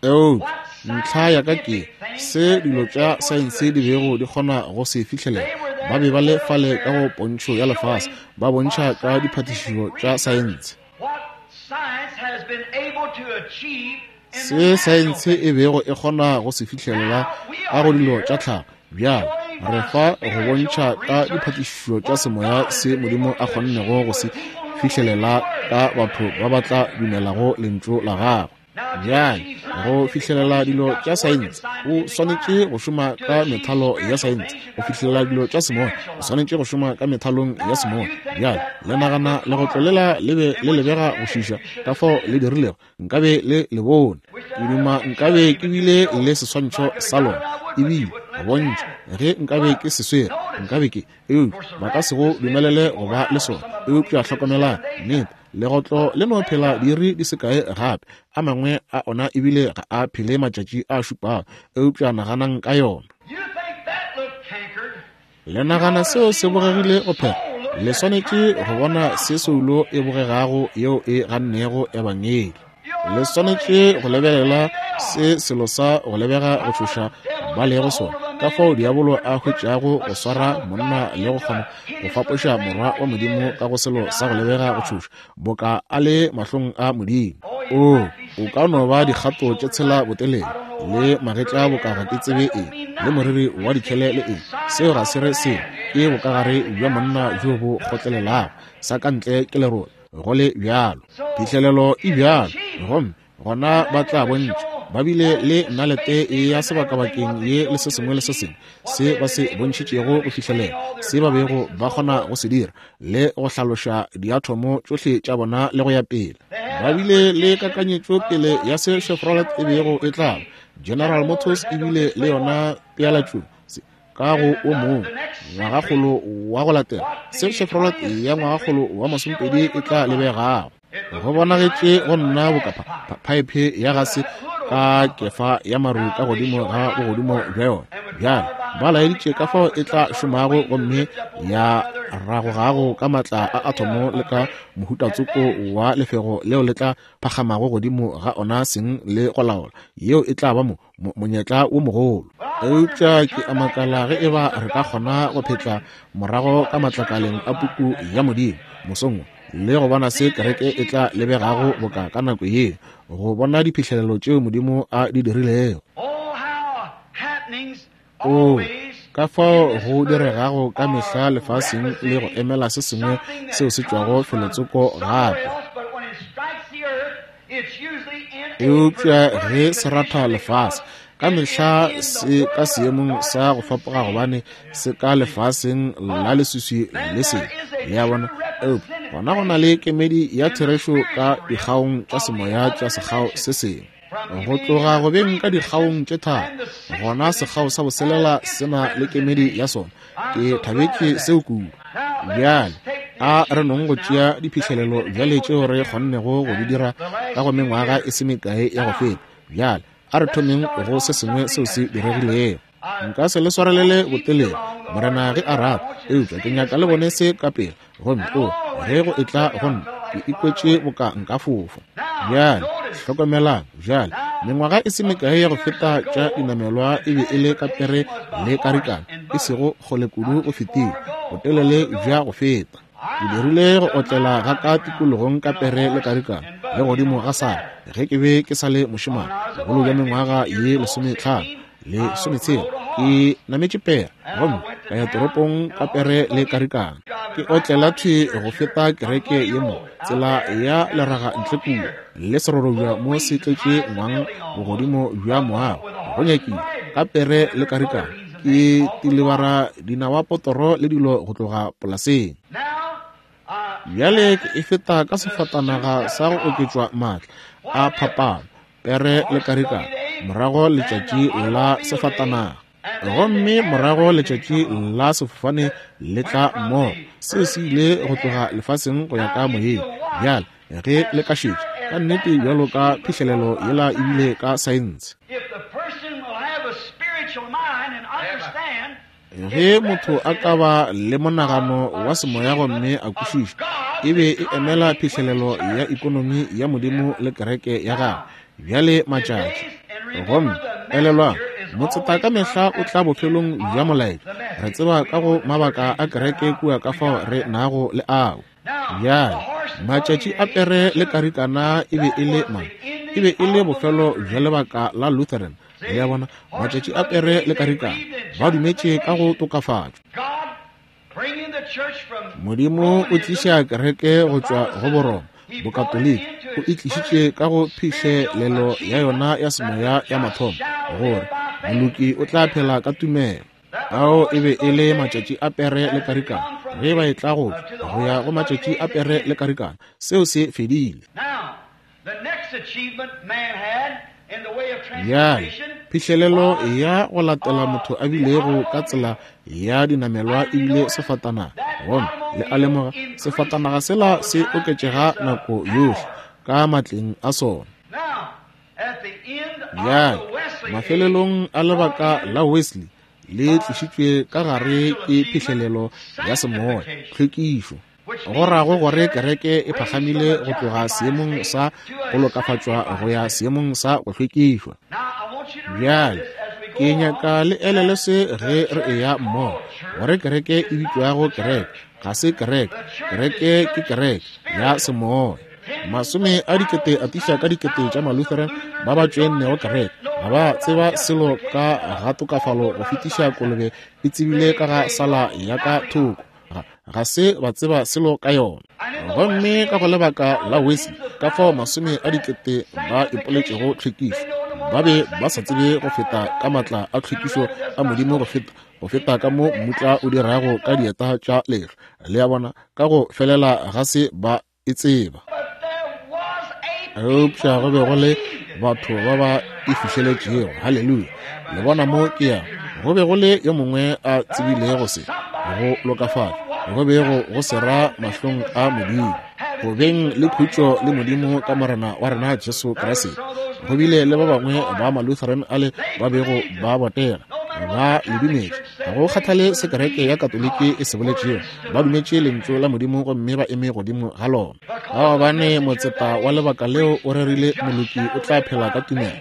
Eupša ntlha ya ka ke se dilo tša saense di bego di kgona go se fihlelela. Ba be ba le fale ka go pontšho ya lefase, ba bontšha ka diphatišišo tša saense se saense e bego e kgona go se fihlelela ka go dilo tša tlhago. Bjale Re fa go bontšha ka diphatišišo tša semoya se Modimo a kgonnego go se fihlelela ka batho ba ba tla dumelago lentšu la gagwe. Bjale, go fihlelela dilo tša saense o swanetše go šoma ka methalo ya saense. Go fihlelela dilo tša semoya o swanetše go šoma ka methalong ya semoya. Bjale, le nagana legotlo lela le be le lebega go šiša ka fao le dirilego, nkabe le le bone. Ke duma nkabe ke bile le seswantšho sa lona, ebile go bontšha ge nkabe ke se swere, nkabe ke, eupša ba ka se go dumelele go ba le sona. Eupša hlokomelang, nnete, legotlo le no phela diiri di se kae gape, a mangwe a ona ebile ga a phele matšatši a šupago. Eupša naganang ka yona. Le nagana seo se bogegile go phela? Le swanetše go bona se soulo e bogegago yeo e gannego ebangedi. Le swanetše go lebelela se selo sa go lebega go tšhoša ba lego sona, ka fao diabolo a hwetšago go swara monna le go kgona go fapoša morwa wa Modimo ka go selo sa go lebega go tšhoša, boka a le mahlong a Modimo. O, o ka no ba dikgato tše tshela botelele, le magetla boka ga ke tsebe eng, le moriri wa dikhele le eng. Seo ga se re selo, ke bokagare bja monna bjo bo kgotlelelago, sa ka ntle ke lerole, go le bjalo. Phihlelelo e bjalo, gomme gona ba tla bontšha ba bile le nalete ya sebakabakeng ye le se sengwe le se sengwe se ba se bontšhitšego go fihlelela se ba bego ba kgona go se dira, le go hlaloša diathomo tšohle tša bona le go ya pele. Ba bile le kakanyetšo pele ya se Chevrolet e bego e tla ba. General Motors e bile le yona pealatšong ka go o mongwe ngwagakgolo wa go latela, se Chevrolet ya ngwagakgolo wa masomepedi e tla lebegago. Go bonagetše go nna boka phaephe ya gase ka kefa ya maru ka godimo ga bogodimo bja yona. Bjale ba laeditše ka fao e tla šomago gomme ya ragogago ka matla a athomo le ka mohutatsoko wa lefego leo le tla phagamago godimo ga ona seng le go laola. Yeo e tla ba mo monyetla wo mogolo. Eupša ke a makala ge eba re ka kgona go phetla morago ka matlakaleng a puku ya Modimo mosong wo, le go bona se kereke e tla lebegago boka ka nako ye, go bona diphihlelelo tšeo Modimo a di dirilego. O, ka fao go diregago ka mehla lefaseng le go emela se sengwe seo se tšwago felotsoko gape. Eupša ge se ratha lefase, ka mehla se ka seemong sa go fapoga, gobane se ka lefaseng la leswiswi le sebe. Le a bona? Eupša gona go na le kemedi ya therešo ka dikgaong tša semoya tša sekgao se sengwe. Go tloga go beng ka dikgaong tše tharo, gona sekgao sa boselela se na le kemedi ya sona. Ke thabetše seo kudu. Bjale a re nong go tšea diphihlelelo bjale tšeo re kgonnego go di dira ka go mengwaga e se mekae ya go feta. Bjale a re thomeng go se sengwe seo se diregilego. Nka se le swarelele botelele, Morena ge a rata, eupša ke nyaka le bone se ka pele. Gomme o, ge go etla go nna, ke ikwetše boka nka fofa. Bjale hlokomelang, bjale mengwaga e se mekae ya go feta tša dinamelwa e be e le ka pere le karikana, e sego kgole kudu go fetile, botelele bja go feta. Ke dirile go otlela ga ka tikologong ka pere le karikana le godimo ga sala ge ke be ke sa le mošemane, bogolo bja mengwaga ye lesometlhano lesometshela. Ke nametše pere gomme ka ya toropong ka pere le karikana, ke otlela thwe go feta kereke ye mo tsela ya leraga ntle kua le serorobja mo se tletše ngwang bogodimo bja moago, go nyakile ka pere le karikana. Ke tilebara dinawa potoro le dilo go tloga polaseng. Bjale ke e feta ka sefatanaga sa go oketšwa maatla a phapano, pere le karikana, morago letšatši la sefatanaga, gomme morago letšatši la sefofane le tla mmogo. Seo se ile go tloga lefaseng go ya ka moyeng. Bjale ge le ka šetša ka nnete bjalo ka phihlelelo yela ebile ka saense, ge motho a ka ba le monagano wa semoya gomme a kwešiša, e be e emela phihlelelo ya ekonomi ya Modimo le kereke ya gagwe. Bjale matšatši, gomme elelwang, motseta ka mehla o tla bofelong bja molaetša. Re tseba ka go mabaka a kereke kua ka fao re nago le ao. Bjale matšatši a pere le karikana e be e le mang? E be e le bofelo bja lebaka la Lutheran, Le a bona, matšatši a pere le karikana, ba dumetše ka go tokafatšwa. Modimo o tliša kereke go tšwa go Boroma, Bokatoliki, o e tlišitše ka go phihlelelo ya yona ya semoya ya mathomo, gore moloki o tla phela ka tumelo. Ao e be e le matšatši a pere le karikana. Ge ba e tla go tšwa go ya go matšatši a pere le karikana, seo se fedile. Bjale, phihlelelo ya go latela motho a bilego ka tsela ya dinamelwa e bile sefatanaga. Gomme le a lemoga, sefatanaga sela se oketšega nako yohle ka matleng a sona. Bjale, mafelelong a lebaka la Wesley le tlišitšwe ka gare ke phihlelelo ya semoya, tlhwekišo. Go rago gore kereke e phagamile go tloga seemong sa go lokafatšwa go ya seemong sa go hlwekišwa. Bjale, ke nyaka le elele se ge re eya mmogo, gore kereke e bitšwago kereke ga se kereke, kereke ke kereke ya semoya. Masome a dikete a tiša ka dikete tša Malutheran ba ba tšoennego kereke, ga ba tseba selo ka ga tokafalo go fetiša kolobe e tsebile ka ga sala ya ka thoko. Ga se ba tseba selo ka yona. Gomme ka go lebaka la Wesley, ka fao masome a dikete ba ipoletšego tlhwekišo, ba be ba sa tsebe go feta ka matla a tlhwekišo a Modimo go feta go feta ka mo mmutla o dirago ka dieta tša lehlwa. Le a bona, ka go felela ga se ba e tseba. Eupša go be go le batho ba ba e fihleletšego. Haleluya! Le bona mo ke ya. Go be go le yo mongwe a tsebilego se, go lokafatšwa, go bego go se ra mahlong a Modimo, go beng le khutšo le Modimo ka Morena wa rena Jesu Kriste. Go bile le ba bangwe ba Malutheran ale ba bego ba botega, ba le dumetše. Ga go kgathale se kereke ya Katoliki e se boletšego, ba dumetše lentšu la Modimo gomme ba eme godimo ga lona. Ka gobane motseta wa lebaka leo o rerile moloki o tla phela ka tumelo,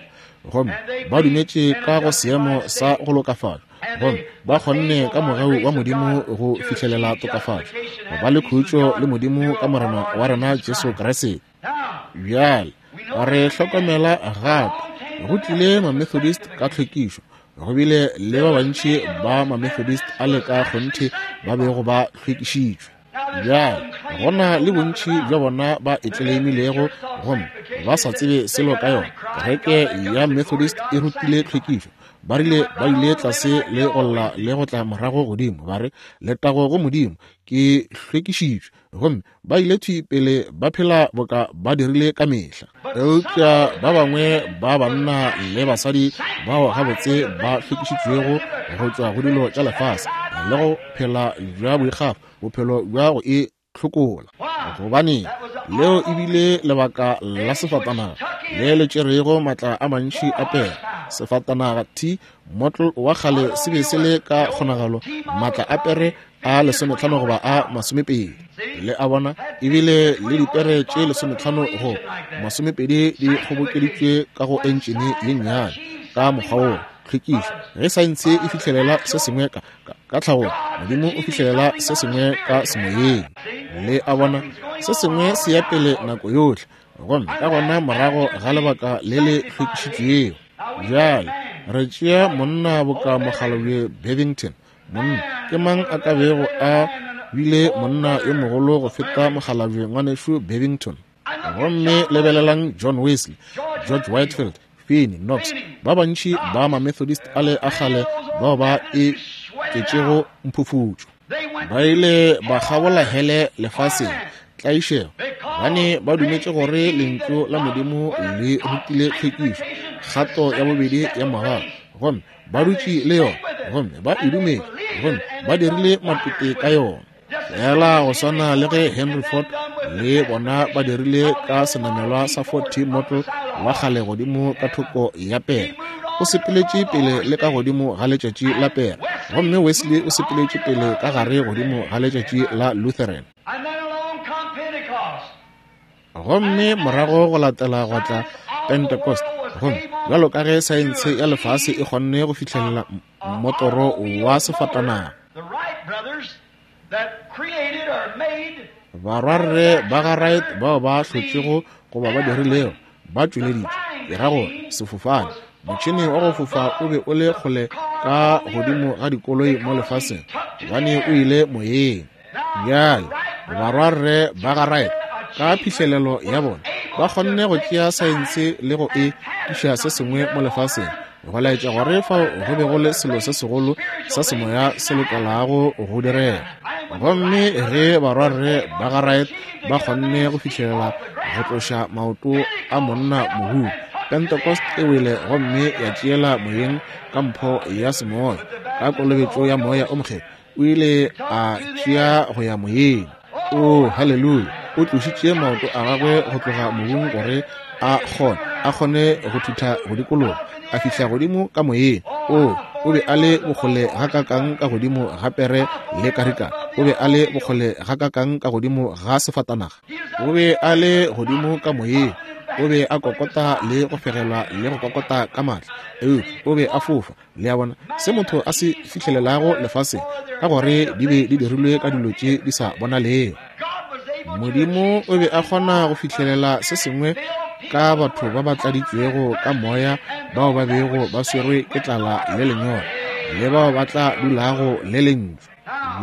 gomme ba dumetše ka go seemo sa go lokafatšwa, gomme ba kgonne ka mogau wa Modimo go fihlelela tokafatšo, go ba le khutšo le Modimo ka Morena wa rena Jesu Kriste. Bjale re hlokomela gape go tlile Mamethodist ka tlhwekišo. Go bile le ba bantši ba Mamethodist a le ka kgonthe ba bego ba hlwekišitšwe. Bjale go na le bontši bja bona ba e tleleimilego gomme ba sa tsebe selo ka yona. Kereke ya Methodist e rutile tlhwekišo. Ba rile ba ile tlase le go lla le go tla morago godimo, ba re letago go Modimo, ke hlwekišitšwe. Gomme ba ile thwi pele ba phela boka ba dirile ka mehla. Eupša ba bangwe ba banna le basadi bao gabotse ba hlwekišitšwego go tšwa go dilo tša lefase le go phela bja boikgafo, bophelo bja go e hlokola. Gobane leo e bile lebaka la sefatanaga le le tšerego matla a mantši a pere. Sefatanaga T motl wa kgale se be se le ka kgonagalo matla a pere a lesometlhano goba a masomepedi. Le a bona, ebile le dipere tše lesometlhano go masomepedi di kgobokeditšwe ka go entšene ye nnyane ka mokgwa wo tlhwekišo. Ge saense e fihlelela se sengwe ka, ka, ka tlhagong, Modimo o fihlelela se sengwe ka semoyeng. Le a bona, se sengwe se ya pele nako yohle, gomme ka gona morago ga lebaka le le hlwekišitšwego. Bjale re tšea monna boka mokgalabje Bevington. Monna ke mang a ka bego a bile monna yo mogolo go feta mokgalabje ngwanešu Bevington? Gomme lebelelang John Wesley, George Whitefield, Finney, Knox, ba bantši ba Mamethodist ale a kgale bao ba e tletšego mphufutšo. Ba ile ba kgabola hele lefaseng, tlaišego, gobane ba dumetše gore lentšu la Modimo le rutile tlhwekišo, kgato ya bobedi ya mogau, gomme ba dutše le yona, gomme ba e dumetše, gomme ba dirile matete ka yona. Fela go swana le ge Henry Ford le bona ba dirile ka senamelwa sa Ford T model wa kgale godimo ka thoko ya pere. O sepeletše pele le ka godimo ga letšatši la pere, gomme Wesley o sepeletše pele ka gare godimo ga letšatši la Lutheran. Gomme morago go latela gwa tla Pentecost, gomme bjalo ka ge saense ya lefase e kgonne go fihlelela mmotoro wa sefatanaga, barwarre ba ga Wright bao ba hlotšego goba ba dirilego ba tšweleditše, ke ra gore sefofane Motšhene wa go fofa o be o le kgole ka godimo ga dikoloi mo lefaseng, gobane o ile moyeng. Bjale barwarre ba ga Wright ka phihlelelo ya bona ba kgonne go tšea saense le go e tliša se sengwe mo lefaseng, go laetša gore fao go be go le selo se segolo sa semoya se lokelago go direga. Gomme ge barwarre ba ga Wright ba kgonne go fihlelela go tloša maoto a monna mohung, Pentecost e wele gomme ya tšeela moyeng ka mpho ya semoya, ka kolobetšo ya moya o mokgethwa. O ile a tšea go ya moyeng. Oh, haleluya! O tlošitše maoto a gagwe go tloga mobung gore a kgone a kgone go thutha go dikologa, a fihla godimo ka moyeng. Oh, o be a le bokgole gakakang ka godimo ga pere le karikana. O be a le bokgole gakakang ka godimo ga sefatanaga. O be a le godimo ka moyeng. O be a kokota le go fegelwa le go kokota ka maatla. Eupša o be a fofa. Le a bona se motho a se fihlelelago lefaseng, ka gore di be di dirilwe ka dilo tše di sa bonalego. Modimo o be a kgona go fihlelela se sengwe ka batho ba ba tladitšwego ka moya, bao ba bego ba swerwe ke tlala le lenyora, le bao ba tla dulago le lentšu.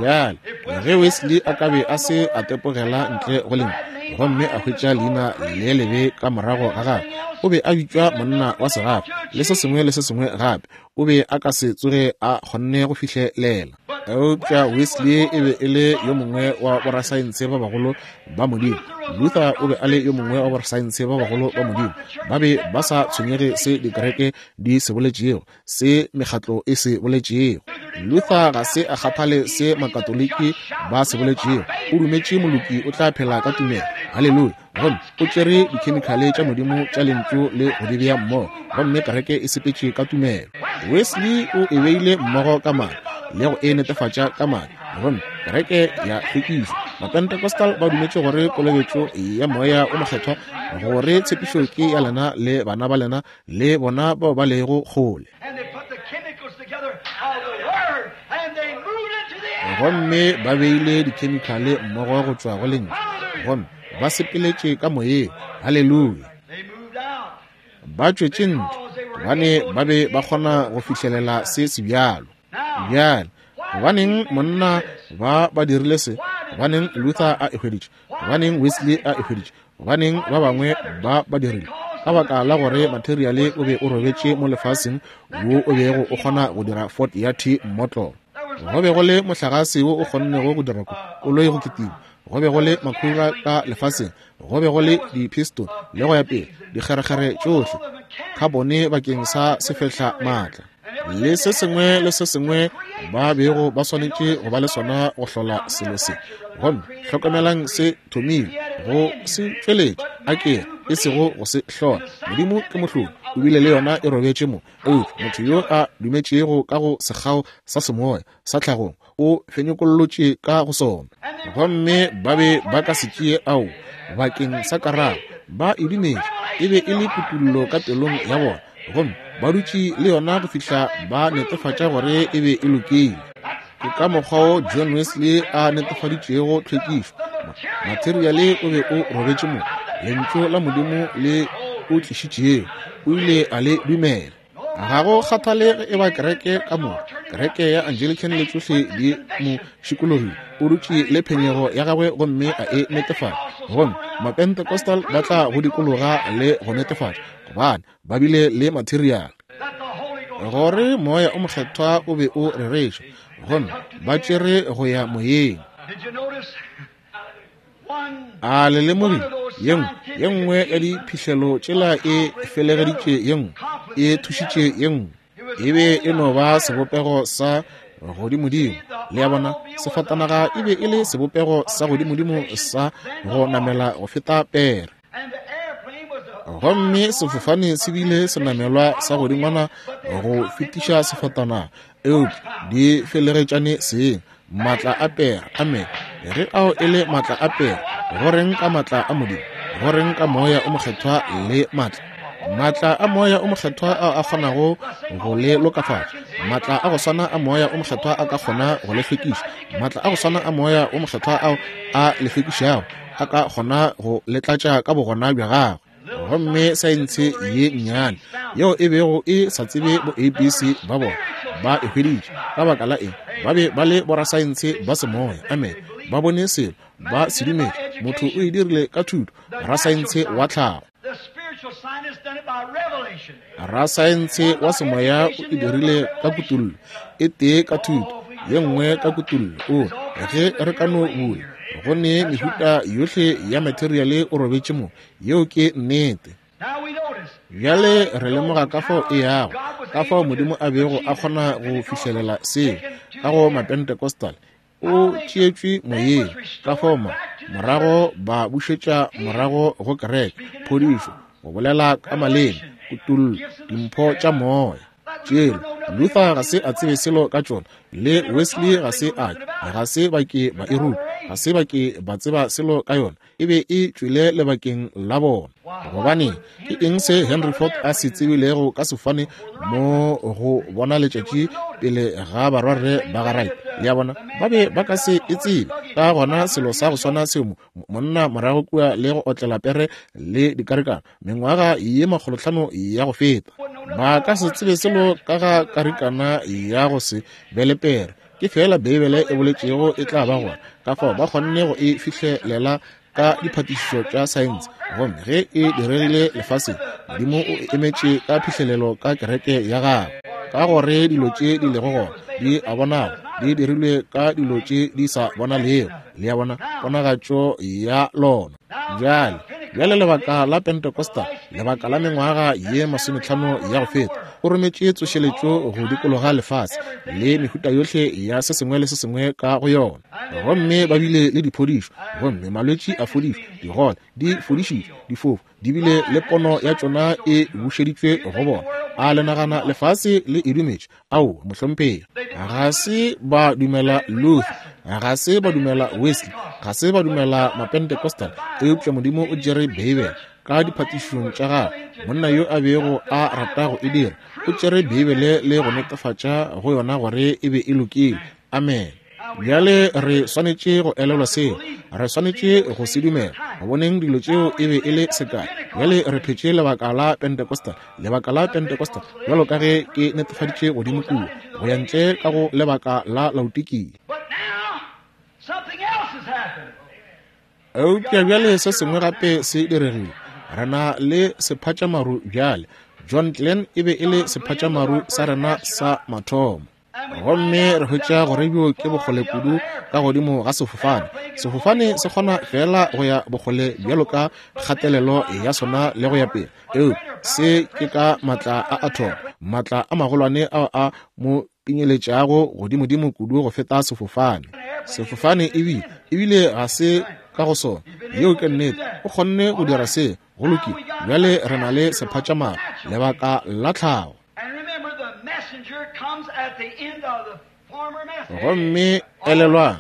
Bjale ge Wesley a ka be a se a tepogela ntle go lentšu gomme a hwetša leina le lebe ka morago ga gagwe, o be a bitšwa monna wa segafe le se sengwe le se sengwe gape, o be a ka se tsoge a kgonne go fihlelela. Eupša Wesley e be e le yo mongwe wa borasaense ba bagolo ba Modimo. Luther o be a le yo mongwe wa borasaense ba bagolo ba Modimo. Ba be ba sa tshwenyege se dikereke di se boletšego, se mekgatlo e se boletšego. Luther ga se a kgathale se Makatoliki ba se boletšego. O dumetše moloki o tla phela ka tumelo. Haleluya! Gomme o tšere dikhemikhale tša Modimo tša lentšu le go di bea mmogo, gomme kereke e sepetše ka tumelo. Wesley o e beile mmogo ka madi le go e netefatša ka madi, gomme kereke ya hlwekišwa. Mapentecostal ba dumetše gore kolobetšo ya moya o mokgethwa, gore tshepišo ke ya lena le bana ba lena le bona bao ba lego kgole. Gomme ba beile dikhemikhale mmogo go tšwa go lentšu, gomme ba sepeletše ka moyeng. Haleluya! Ba tšwetše ntle gobane ba be ba kgona go fihlelela se sebjalo. Bjale gobaneng monna ba ba dirile se? Gobaneng Luther a e hweditše? Gobaneng Wesley a e hweditše? Gobaneng ba bangwe ba ba dirile? Ka baka la gore materiale o be o robetše mo lefaseng wo o bego o kgona go dira Ford ya T mmotlolo. Go be go le mohlagase wo o kgonnego go dira koloi go kitima. Go be go le makhura ka lefaseng. Go be go le di-piston le go ya pele, dikgerekgere tšohle, khabone bakeng sa sefehla maatla, le se sengwe le se sengwe ba bego ba swanetše go ba le sona go hlola selo se. Gomme hlokomelang se thomile go se tšweletša, a ke e sego go se hlola. Modimo ke mohlodi, o bile le yona e robetše mo. Eupša motho yo a dumetšego ka go sekgao sa semoya sa tlhagong o fenyekollotše ka go sona. Gomme ba be ba ka se tšee ao bakeng sa karabo. Ba e dumetše, e be e le kutullo ka pelong ya bona, gomme ba dutše le yona go fihla ba netefatša gore e be e lokile. Ke ka mokgwa wo John Wesley a netefaditšego tlhwekišo. Materiale o be o robetše mo, lentšu la Modimo le o tlišitšego, o ile a le dumela. Ga go kgathale ge e ba kereke ka moka, kereke ya Anglican le tšohle di mo šikologile, o dutše le phenyego ya gagwe gomme a e netefatša. Gomme Mapentecostal ba tla go dikologa le go netefatša, gobane ba bile le materiale gore moya o mokgethwa o be o rereša, gomme ba tšere go ya moyeng. A le lemogile ye nngwe ye nngwe ya diphihlelo tšela e felegeditše ye nngwe, e thušitše ye nngwe. E be e no ba sebopego sa godimodimo. Le a bona, sefatanaga e be e le sebopego sa godimodimo sa go namela go feta pere. Gomme sefofane se bile senamelwa sa godingwana go fetiša sefatanaga, eupša di felegetšane seng. Maatla a pere, amen. Ge ao e le maatla a pere, go reng ka maatla a Modimo? Go reng ka moya o mokgethwa le maatla? Maatla a moya o mokgethwa ao a kgonago go le lokafatša. Maatla a go swana a moya o mokgethwa a ka kgona go le hlwekiša. Maatla a go swana a moya o mokgethwa ao a le hlwekišago a ka kgona go le tlatša ka bogona bja gagwe. Gomme saense ye nnyane yeo e bego e sa tsebe bo A B C ba bona, ba e hweditše. Ka baka la eng? Ba be ba le borasaense ba semoya. Amen. Ba bone selo, ba se dumetše. Motho o e dirile ka thuto, rasaense wa tlhago. Rasaense wa semoya o e dirile ka kutollo, e tee ka thuto, ye nngwe ka kutollo. O ge re ka no bula, go ne mehuta yohle ya materiale o robetše mo. Yeo ke nnete. Bjale re lemoga ka fao e yago, ka fao Modimo a bego a kgona go fihlelela seo ka go Mapentecostal. O tšeetšwe moyeng, ka fao ma morago ba bušetša morago go kereke, phodišo, go bolela ka maleme, kutollo, dimpho tša moya. Tšela Luther ga se a tsebe selo ka tšona, le Wesley ga se a, ga se ba ke ba e ruta, ga se ba ke ba tseba selo ka yona. E be e tšwele lebakeng la bona. Gobane ke eng se Henry Ford a se tsebilego ka sefofane mo go bona letšatši pele ga barwarre ba ga Wright? Le a bona, ba be ba ka se e tsebe. Ka gona selo sa go swana seo monna morago kua le go otlela pere le dikarikana mengwaga ye makgolotlhano ya go feta, ba ka se tsebe selo ka ga karikana ya go se be le pere. Ke fela Beibele e boletšego e tla ba gona. Ka fao ba kgonne go e fihlelela ka diphatišišo tša saense. Gomme ge e diregile lefaseng, Modimo o emetše ka phihlelelo ka kereke ya gagwe, ka gore dilo tše di lego gona di a bonala, di dirilwe ka dilo tše di sa bonalego. Le a bona, ponagatšo ya lona. Bjale, bjale lebaka la Pentecostal, lebaka la mengwaga ye masometlhano ya go feta, o rometše tsošeletšo go dikologa lefase le mehuta yohle ya se sengwe le se sengwe ka go yona. Gomme ba bile le diphodišo, gomme malwetši a fodišwa, digole di fodišitšwe, difofu di bile le pono ya tšona e bušeditšwe go bona. A le nagana lefase le e dumetše? Ao, mohlomphegi. Ga se ba dumela Luther, ga se ba dumela Wesley, ga se ba dumela Mapentecostal, eupša Modimo o tšere Beibele ka diphatišišong tša gagwe. Monna yo a bego a rata go e dira, o tšere Beibele le go netefatša go yona gore e be e lokile. Amen. Bjale re swanetše go elelwa seo, re swanetše go se dumela. Go boneng dilo tšeo e be e le sekai. Bjale re phetše lebaka la Pentecostal, lebaka la Pentecostal, bjalo ka ge ke netefaditše godimo kua, go ya ntle ka go lebaka la Laodikia. Eupša bjale se sengwe gape se diregile. Re na le sephatšamaru bjale. John Glenn e be e le sephatšamaru sa rena sa mathomo. Gomme re hwetša gore bjo ke bokgole kudu ka godimo ga sefofane. Sefofane se kgona fela go ya bokgole bjalo ka kgatelelo ya sona le go ya pele. Eupša se ke ka matla a atom, matla a magolwane ao a mo pinyeletšago godimodimo kudu go feta sefofane. Sefofane ebile ebile ga se ka go sona. Yeo ke nnete. O kgonne go dira se. Go lokile. Bjale re na le sephatšamaru, lebaka la tlhago. Gomme elelwang,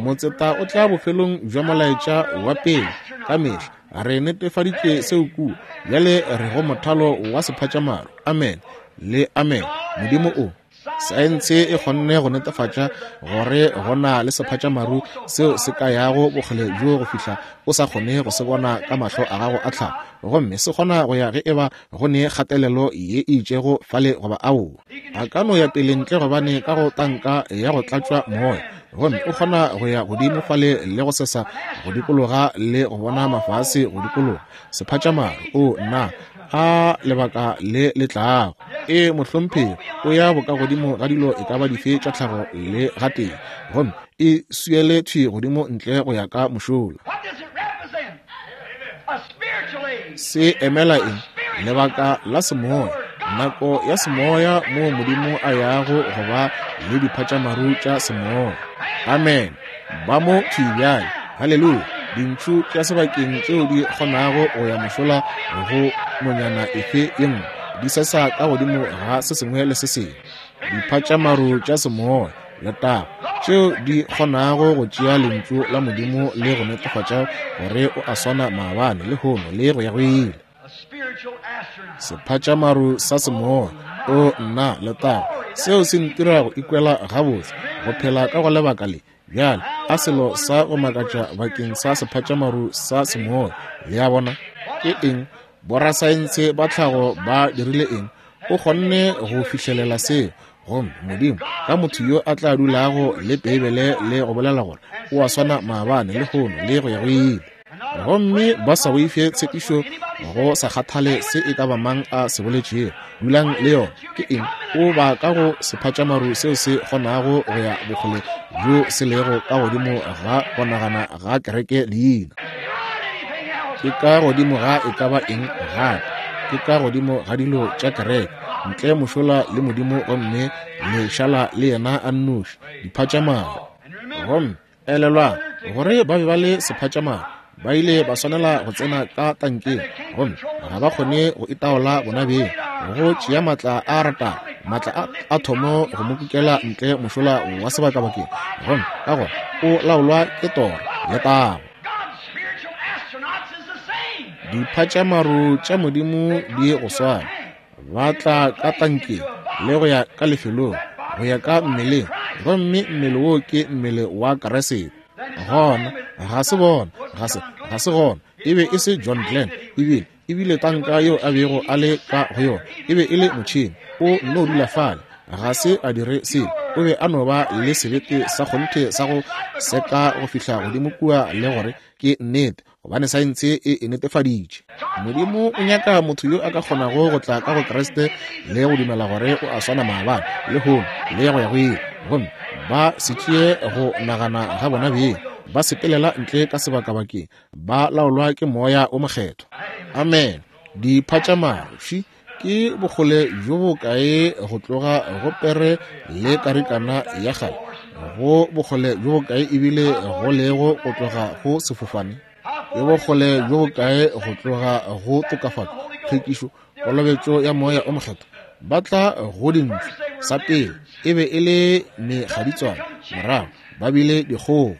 motseta o tla bofelong bja molaetša wa pele ka mehla. Re netefaditše seo kua. Bjale re go mothalo wa sephatšamaru. Amen le amen. Modimo o saense e kgonne go netefatša gore go na le sephatšamaru seo se ka yago bokgole bjo go fihla o sa kgone go se bona ka mahlo a gago a tlhago, gomme se kgona go ya ge e ba go ne kgatelelo ye e itšego fale goba aowa. A ka no ya pele ntle gobane ka go tanka ya go tlatšwa moya, gomme o kgona go ya godimo fale le go sesa go dikologa le go bona mafase go dikologa. Sephatšamaru, o nna a lebaka le le tlago. E mohlomphegi, o ya bokagodimo ga dilo e ka ba dife tša tlhago le gatee, gomme e swiele thwi godimo ntle go ya ka mošola. Se emela eng? Lebaka la semoya, nako ya semoya moo Modimo a yago go ba le diphatšamaru tša semoya. Amen. Ba mo thwi bjale. Haleluya. Dintšhu tša sebakeng tšeo di kgonago go ya mošola go nonyana efe ye nngwe, di sesa ka godimo ga se sengwe le se sengwe. Diphatšamaru tša semoya, letago, tšeo di kgonago go tšea lentšu la Modimo le go netefatša gore o a swana maabane, lehono le go ya go ile. Sephatšamaru sa semoya, o nna letago, seo se ntira go ikwela gabotse go phela ka go lebaka le. Bjale a selo sa go makatša bakeng sa sephatšamaru sa semoya. Le a bona ke eng? Borasaense ba tlhago ba dirile eng? O kgonne go fihlelela seo. Gomme Modimo ka motho yo a tla dulago le Beibele le go bolela gore o a swana maabane le lehono le go ya go ile, gomme ba sa boife tshepišo go sa kgathale se e ka ba mang a se boletšego, dulang le yona. Ke eng? O ba ka go sephatšamaru seo se kgonago go ya bokgole bjo se lego ka godimo ga go nagana ga kereke leina. Ke ka godimo ga e ka ba eng gape, ke ka godimo ga dilo tša kereke, ntle mošola le Modimo, gomme le šala le yena a nnoši, diphatšamaru. Gomme elelwang gore ba be ba le sephatšamaru, ba ile ba swanela go tsena ka tankeng, gomme ga ba kgone go itaola bona beng, go tšea maatla a ratago, maatla a athomo go mo kukela ntle mošola wa sebakabakeng, gomme ka gona o laolwa ke toro le tago. Diphatšamaru tša Modimo di go swana, ba tla ka tankeng le go ya ka lefelong, go ya ka mmeleng, gomme mmele wo ke mmele wa Kriste. Gona ga se bona, ga se ga se gona. E be e se John Glenn, ebile ebile tanka yeo a bego a le ka go yona e be e le motšhene. O nno dula fale, ga se a dire selo. O be a no ba le sebete sa kgonthe sa go seka go fihla godimo kua le gore ke nnete, gobane saense e e netefaditše. Modimo o nyaka motho yo a ka kgonago go tla ka go Kriste le go dumela gore o a swana maabane, lehono le go ya go ile, gomme ba se tšee go nagana ga bona beng, ba sepelela ntle ka sebakabakeng, ba laolwa ke Moya o Mokgethwa. Amen. Diphatšamaru ke bokgole bjo bokae go tloga go pere le karikana ya kgale, go bokgole bjo bokae ebile go lego go tloga go sefofane? Ke bokgole bjo bokae go tloga go tokafatšo, tlhwekišo, kolobetšo ya Moya o Mokgethwa? Ba tla go dintšu. Sa pele e be e le mekgaditswana, morago ba bile dikgogo,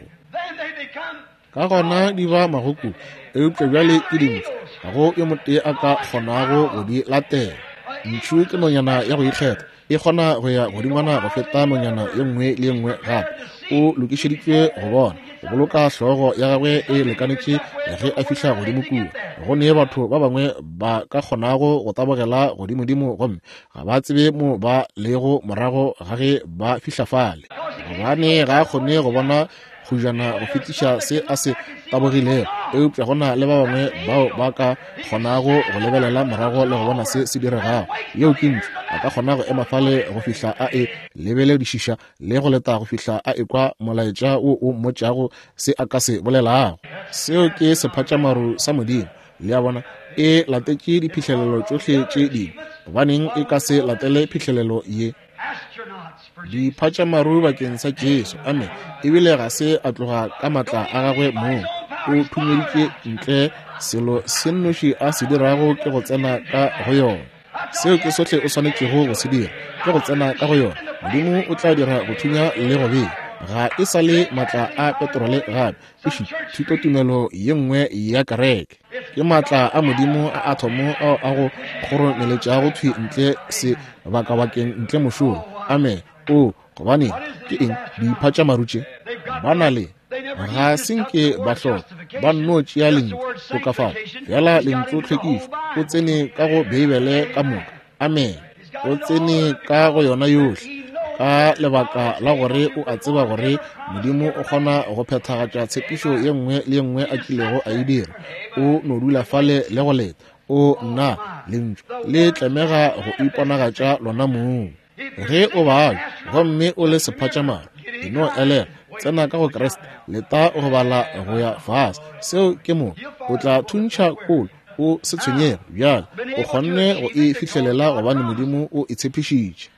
ka gona di ba magokobu, eupša bjale ke dintšu, ga go yo motee a ka kgonago go di latela. Ntšhu ke nonyana ya go ikgetha, e kgona go ya godingwana go feta nonyana ye nngwe le ye nngwe gape. O lokišeditšwe go bona, go boloka hlogo ya gagwe e lekanetše ge a fihla godimo kua. Go ne batho ba bangwe ba ka kgonago go tabogela godimodimo, gomme ga ba tsebe mo ba lego morago ga ge ba fihla fale, gobane ga a kgone go bona kgujana go fetiša se a se tabogilego. Eupša go na le ba bangwe bao ba ka kgonago go lebelela morago le go bona se se diregago. Yeo ke ntšu. A ka kgona go ema fale go fihla a e lebeledišiša le go leta go fihla a ekwa molaetša wo o mmotšago se a ka se bolelago. Seo ke sephatšamaru sa Modimo. Le a bona, e latetše diphihlelelo tšohle tše dingwe. Gobaneng e ka se latele phihlelelo ye? Diphatšamaru bakeng sa Jesu. Amen. Ebile ga se a tloga ka maatla a gagwe mong, o thunyeditše ntle. Selo se nnoši a se dirago ke go tsena ka go yona. Seo ke sohle o swanetšego go se dira, ke go tsena ka go yona. Modimo o tla dira go thunya le go bea. Ga e sa le maatla a petrole gape, e thutotumelo ye nngwe ya kereke. Ke maatla a Modimo a athomo ao a go kgoromeletšago thwi ntle sebakabakeng ntle mošola. Amen. O gobane ke eng diphatšamaru tše? Ba na le ga se nke ba hloka, ba nno tšea lentšu tokafatšo, fela lentšu tlhwekišo. O tsene ka go Beibele ka moka. Amen. O tsene ka go yona yohle, ka lebaka la gore o a tseba gore Modimo o kgona go phethagatša tshepišo ye nngwe le ye nngwe a kilego a e dira. O no dula fale le go leta. O nna lentšu le tlemega go iponagatša lona mong. Ge o bala gomme o le sephatšamaru, e no elela, tsena ka go Kriste, leta go bala go ya fase. Seo ke mo o tla thuntšha kolo, o se tshwenyege bjale. O kgonne go e fihlelela gobane Modimo o e tshepišitše.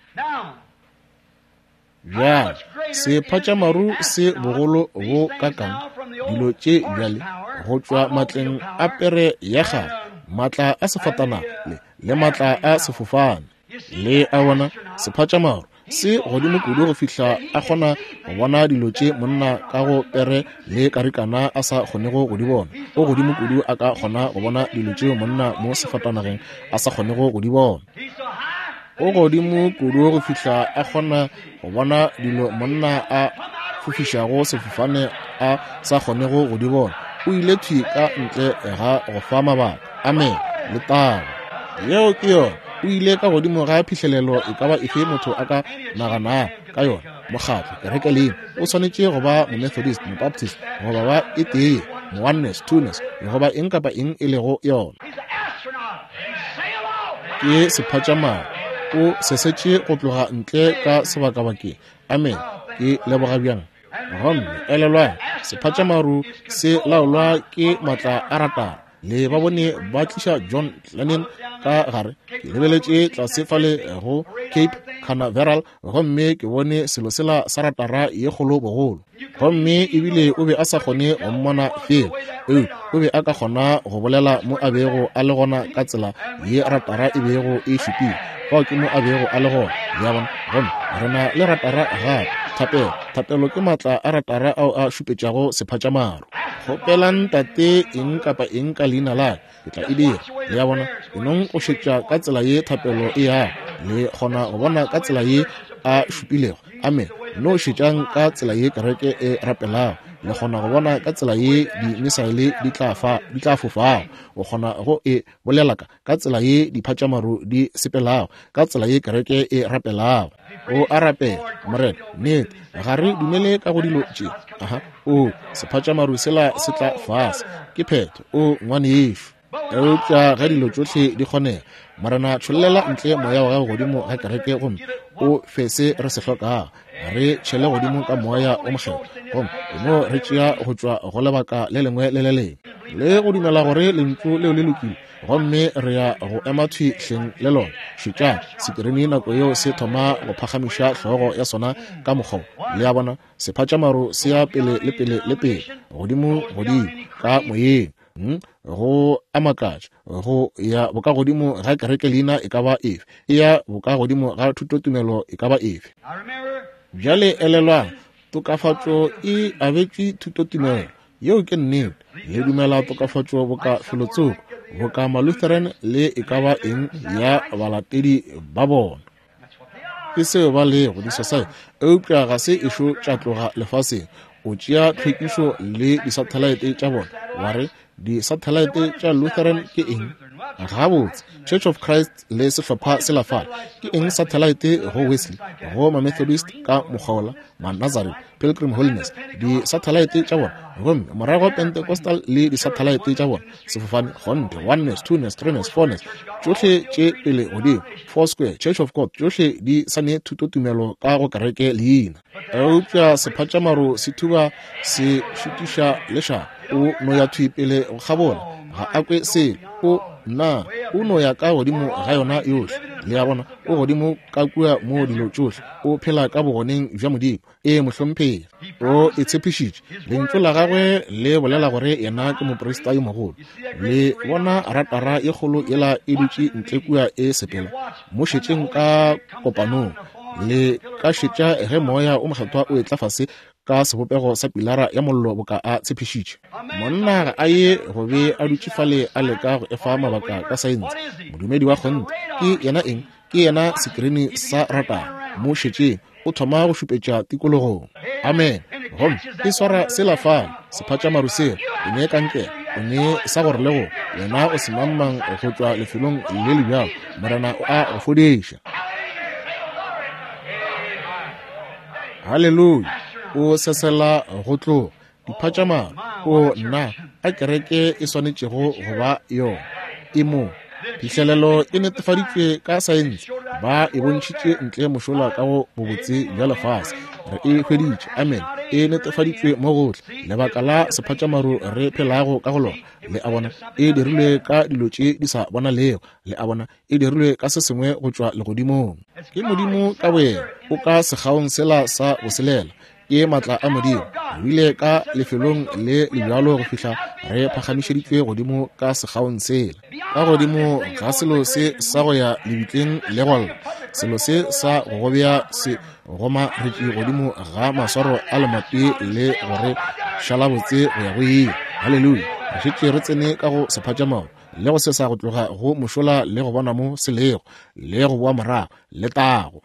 Bjale sephatšamaru se bogolo bo kakang dilo tše bjale go tšwa matleng a pere ya kgale, maatla a sefatanaga le le maatla a sefofane. Le a bona, sephatšamaru se godimo kudu go fihla a kgona go bona dilo tše monna ka go pere le karikana a sa kgonego go di bona. O godimo kudu a ka kgona go bona dilo tšeo monna mo sefatanageng a sa kgonego go di bona. O godimo kudu go fihla a kgona go bona dilo monna a fofišago sefofane a sa kgonego go di bona. O ile thwi ka ntle ga go fa mabaka. Amen. Letago. Yeo ke yona. O ile ka godimo ga phihlelelo e ka ba efe motho a ka naganago ka yona. Mokgatlo, kereke leina, o swanetše go ba Momethodist, Mobaptist, goba ba e tee, Mooneness, Twoness, goba eng kapa eng e lego yona. Ke sephatšamaru, o sesetše go tloga ntle ka sebakabakeng. Amen. Ke leboga bjang. Gomme elelwang, sephatšamaru se laolwa ke matla a ratara. Le ba bone ba tliša John Lennon ka gare. Ke lebeletše tlase fale go Cape Canaveral gomme ke bone selo sela sa ratara ye kgolo bogolo. Gomme ebile o be a sa kgone go mmona fela, eupša o be a ka kgona go bolela mo a bego a le gona ka tsela ye ratara e bego e šupile. Fao ke mo a bego a le gona. Le a bona? Gomme re na le ratara gape. Thapelo. Thapelo ke matla a ratara ao a šupetšago sephatšamaru. Kgopelang Tate eng kapa eng ka leina la ka, ke tla e dira. Le a bona? Enong go šetša ka tsela ye thapelo e yago. Le kgona go bona ka tsela ye a šupilego. Amen. No šetšang ka tsela ye kereke e rapelago. Le kgona go bona ka tsela ye dimisaele di tla fa di tla fofago. O kgona go e bolela ka ka tsela ye diphatšamaru di sepelago, ka tsela ye kereke e rapelago. O a rapela, Morena, nnete, ga re dumele ka go dilo tše. Aha, o sephatšamaru sela se tla fase. Ke phetho, o ngwanešu. Eupša ge dilo tšohle di kgonega, Morena, tšhollela ntle moya wa gago godimo ga kereke gomme o fe se re se hlokago. Re tšhele godimo ka moya o mokgethwa gomme no re tšea go tšwa go lebaka le lengwe le le lengwe, le go dumela gore lentšu leo le lokile, gomme re ya go ema thwi hleng le lona. Šetšang sekirini nako yeo se thoma go phagamiša hlogo ya sona ka mokgwa. Le a bona, sephatšamaru se ya pele le pele le pele, godimo godimo ka moyeng. Hmm? Go a makatša, go ya bokagodimo ga kereke leina e ka ba efe, e ya bokagodimo ga thutotumelo e ka ba efe. Bjale elelwang, tokafatšo e abetšwe thutotumelo. Yeo ke nnete. Le dumela tokafatšo boka felotsoko, boka Malutheran le e ka ba eng ya balatedi ba bona. Ke seo ba lego disosaete, eupša ga se ešo tša tloga lefaseng. O tšea tlhwekišo le disathelaete tša bona, wa re disathelaete tša Lutheran ke eng? Gabotse, Church of Christ le sehlopha se la fale ke eng sathelaete go Wesley, go Mamethodist ka mokgwa wola, Manazarene, Pilgrim Holiness, disathelaete tša bona, gomme morago Pentecostal le disathelaete tša bona, sefofane, kgonthe, oneness, twoness, threeness, fourness, tšohle tše pele godimo, Four Square, Church of God, tšohle di sa ne thutotumelo ka go kereke leina. Eupša sephatšamaru se thuba se šutiša lešaba. O no ya thwi pele go kgabola, ga a kwe selo. O na o no ya ka godimo ga yona yohle. Le a bona, o godimo ka kua mo dilo tšohle. O phela ka bogoneng bja Modimo. E mohlomphegi, o e tshepišitše. Lentšu la gagwe le bolela gore yena ke moprista yo mogolo. Le bona ratara ye kgolo yela e dutše ntle kua e sepela. Mo šetšeng ka kopanong. Le ka šetša ge moya o mokgethwa o etla fase ka sebopego sa pilara ya mollo boka a tshepišitše. Monna ga a ye go be a dutše fale a leka go efa mabaka ka saense. Modumedi wa kgonthe ke yena eng? Ke yena sekirini sa ratara. Mo šetšeng, o thoma go šupetša tikologong. Amen. Gomme e swara sela fale, sephatšamaru sela, o ne kankere, o ne sa gore le go wena o semangmang go tšwa lefelong le le bjalo. Morena o a go fodiša. Haleluya. O sesela go tloga diphatšamaru. O nna a kereke e swanetšego go ba yona. E mo phihlelelo e netefaditšwe ka saense, ba e bontšhitše ntle mošola ka go bobotse bja lefase. Re e hweditše. Amen. E netefaditšwe mo gohle. Lebaka la sephatšamaru re phelago ka go lona. Le a bona, e dirilwe ka dilo tše di sa bonalego. Le a bona, e dirilwe ka se sengwe go tšwa legodimong. Ke Modimo ka boyena o ka sekgaong sela sa boselela. Ke matla a Modimo. Re ile ka lefelong le le bjalo go fihla re phagamišeditšwe godimo ka sekgaong sela, ka godimo ga selo se sa go ya lebitleng le go lla, selo se sa go gobea se gomaretše godimo ga maswaro a lemati le gore šala botse go ya go ile. Haleluya. Re šetše re tsene ka go sephatšamaru le go sesa go tloga go mošola le go bona mo se lego le go boa morago le tago.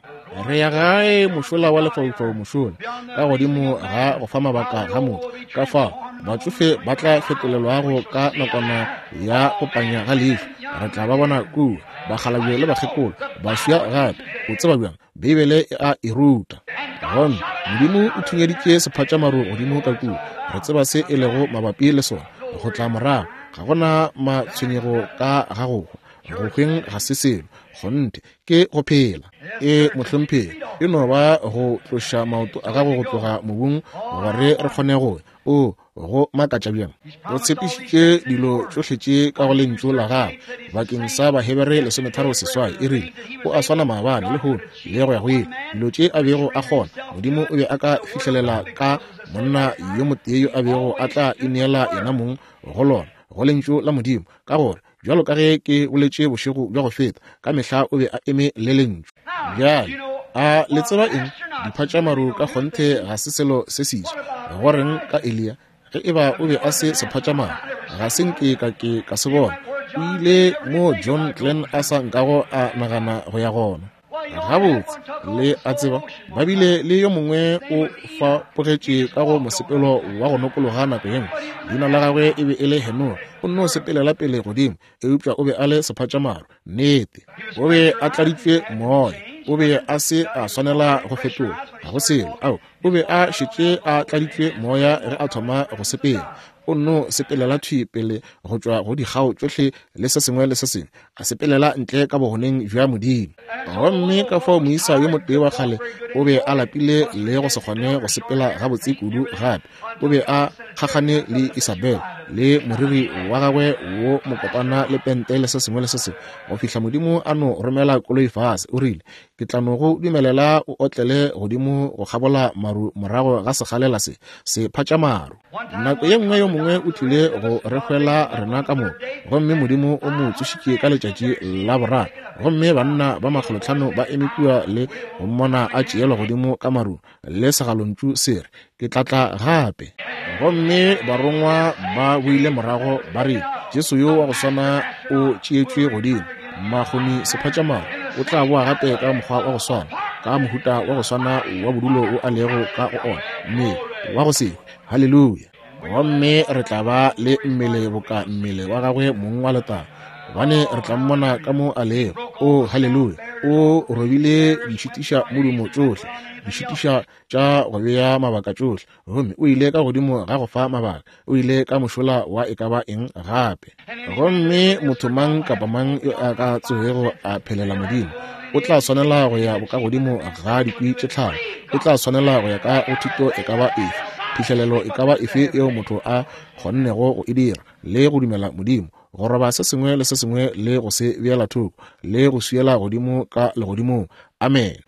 Re ya gae mošola wa lefaufau mošola, ka godimo ga go fa mabaka ga motho. Ka fao batsofe ba tla fetolelwago ka nakwana ya go panya ga leihlo, Re tla ba bona kua, bakgalabje le bakgekolo, baswa gape. O tseba bjang? Beibele e a e ruta. Gomme Modimo o thunyeditše sephatšamaru godimo ka kua. Re tseba se e lego mabapi le sona. Go tla morago, ga gona matshwenyego ka ga go hwa. Go hweng ga se selo, kgonthe ke go phela. E mohlomphegi, e no ba go tloša maoto a gago go tloga mobung gore re kgone go o go makatša bjang. O tshepišitše dilo tšohle tše ka go lentšu la gagwe bakeng sa Bahebere lesometharo seswai. E rile o a swana maabane, lehono le go ya go ile. Dilo tše a bego a kgona, Modimo o be a ka fihlelela ka monna yo motee yo a bego a tla ineela yena mong go lona, go lentšu la Modimo, ka gore bjalo ka ge ke boletše bošego bja go feta, ka mehla o be a eme le lentšu. Bjale a le tseba eng? Diphatšamaru ka kgonthe ga se selo se seswa. Go reng ka Eliya? Ge e ba o be a se sephatšamaru, ga se nke ka ke ka se bona. O ile mo John Glenn a sa nkago a nagana go ya gona. Gabotse, le a tseba, ba bile le yo mongwe o fapogetše ka go mosepelo wa go nokologa nako ye nngwe. Leina la gagwe e be e le Henore. O nno sepelela pele godimo, eupša o be a le sephatšamaru. Nnete, o be a tladitšwe moya. O be a se a swanela go fetola, ga go selo. Ao, o be a šetše a tladitšwe moya ge a thoma go sepela. O nno sepelela thwi pele go tšwa go dikgao tšohle le se sengwe le se sengwe, a sepelela ntle ka bogoneng bja Modimo. Gomme ka fao moisa yo motee wa kgale o be a lapile le go se kgone go sepela gabotse kudu gape. O be a kgakgane le Isabel le moriri wa gagwe wo mokopana le pente le se sengwe le se sengwe, go fihla Modimo a no romela koloi fase. O rile, ke tla no go dumelela o otlele godimo go kgabola maru morago ga sekgalela se, se phatšamaru. Nako ye nngwe yo mongwe o tlile go re hwela rena ka moka, gomme Modimo o mo tsošitše ka letšatši la boraro. Gomme banna ba makgolotlhano ba eme kua le go mmona a tšeelwa godimo ka maru, le segalontšu se re, ke tla tla gape. Gomme barongwa ba boile morago ba re, Jesu yo wa go swana o tšeetšwe godimo, makgoni sephatšamaru o tla boa gape ka mokgwa wa go swana, ka mohuta wa go swana wa bodulo o a lego ka go ona, mme wa go se hwe. Haleluya! Gomme re tla ba le mmele boka mmele wa gagwe mong wa letago, gobane re tla mmona ka mo a lego. O haleluya! O robile dišitiša modumo tšohle, dišitiša tša go bea mabaka tšohle, gomme o ile ka godimo ga go fa mabaka, o ile ka mošola wa e ka ba eng gape. Gomme motho mang kapa mang yo a ka tsogego a phelela Modimo o tla swanela go ya bokagodimo ga dikwi tše tlhano, o tla swanela go ya ka go thuto e ka ba efe, phihlelelo e ka ba efe yeo motho a kgonnego go e dira, le go dumela Modimo, go roba se sengwe le se sengwe le go se beela thoko, le go swiela godimo ka legodimong. Amen.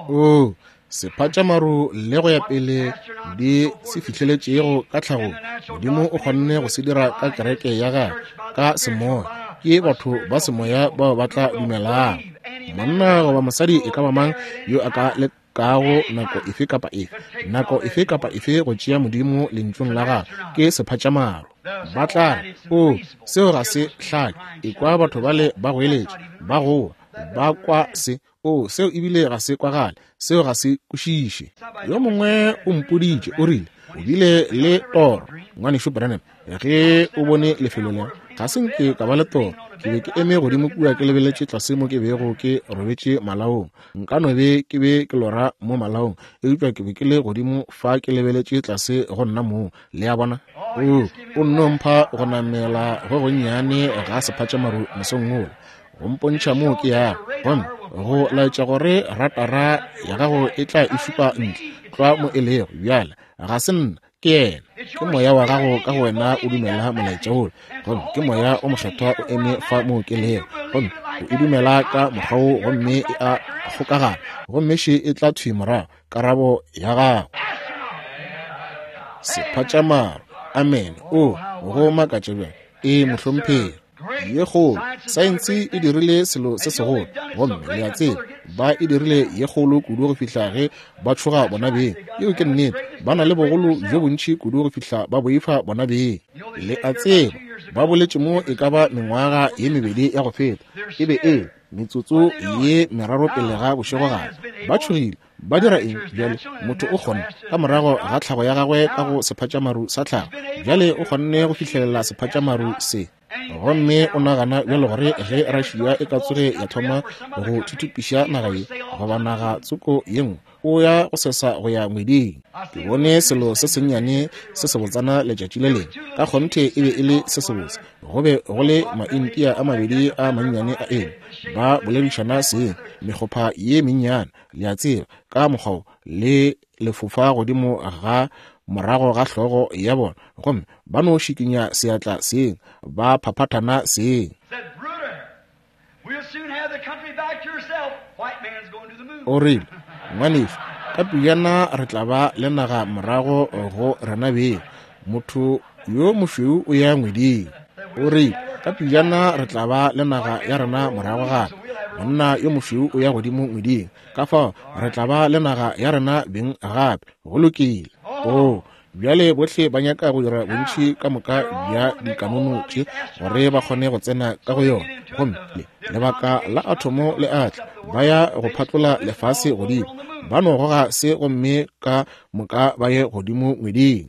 O sephatšamaru le go ya pele di se fihleletšego ka tlhagong, Modimo o kgonne go se dira ka kereke ya gagwe ka semoya. Ke batho ba semoya bao ba tla dumelang. Monna goba mosadi e ka ba mang yo a ka lekago nako efe kapa efe, nako efe kapa efe go tšea Modimo lentšung la gagwe, ke sephatšamaru. Ba tla re, o seo ga se hlake. Ekwa batho bale ba goeletša, ba goa, ba kwa se. O seo ebile ga se kwagale, seo ga se kwešiše. Yo mongwe o mpoditše, o rile, o bile le toro, ngwanešu Branham, ge o bone lefelo le. Ga se nke ka ba le toro. Ke be ke eme godimo kua ke lebeletše tlase mo ke bego ke robetše malaong. Nka no be ke be ke lora mo malaong, eupša ke be ke le godimo fa ke lebeletše tlase go nna moo. Le a bona? O, o nno mpha go namela go gonnyane ga sephatšamaru mosong wola, go mpontšha moo ke yago, gomme go laetša gore ratara ya gago e tla e šupa ntle tlwa mo e lego. Bjale ga se nna, ke yena. Ke moya wa gago ka go wena o dumela molaetša wola, gomme ke moya o mokgethwa o eme fa moo ke lego, gomme o e dumela ka mokgwa wo, gomme e a kgokagana, gomme še e tla thwi morago, karabo ya gago. Sephatšamaru. Amen. O go makatša bjang. E mohlomphegi ye kgolo. Saense e dirile selo se segolo, gomme le a tseba ba e dirile ye kgolo kudu go fihla ge ba tšhoga bona beng. Yeo ke nnete. Ba na le bogolo bjo bontši kudu go fihla ba boifa bona beng. Le a tseba ba boletše mo e ka ba mengwaga ye mebedi ya go feta, e be e metsotso ye meraro pele ga bošegogare. Ba tšhogile. Ba dira eng bjale? Motho o kgona ka morago ga tlhago ya gagwe ka go sephatšamaru sa tlhago, bjale o kgonne go fihlelela sephatšamaru se. Gomme o nagana bjalo gore ge Russia e ka tsoge ya thoma go thuthupiša naga ye, goba naga tsoko ye nngwe, o ya go sesa go ya ngweding. Ke bone selo se sennyane se sebotsana letšatši le lengwe. Ka kgonthe e be e le se sebotse. Go be go le Maindia a mabedi a mannyane a eme, ba boledišana seng, mekgopha ye mennyane, le a tseba, ka mokgwa le lefofa godimo ga morago ga hlogo ya bona, gomme ba no šikinya seatla seng, ba phaphathana seng. O rile, ngwanešu, ka pejana re tla ba le naga morago go rena beng. Motho yo mošweu o ya ngweding. O rile, ka pejana re tla ba le naga ya rena morago gape. Monna yo mošweu o ya godimo ngweding. Ka fao re tla ba le naga ya rena beng gape. Go lokile. Oh, bjale bohle ba nyaka go dira bontši ka moka bja dikanono tše gore ba kgone go tsena ka go yona. Gomme le lebaka la athomo le atla, ba ya go phatlola lefase godimo, ba no goga se gomme ka moka ba ye godimo ngweding,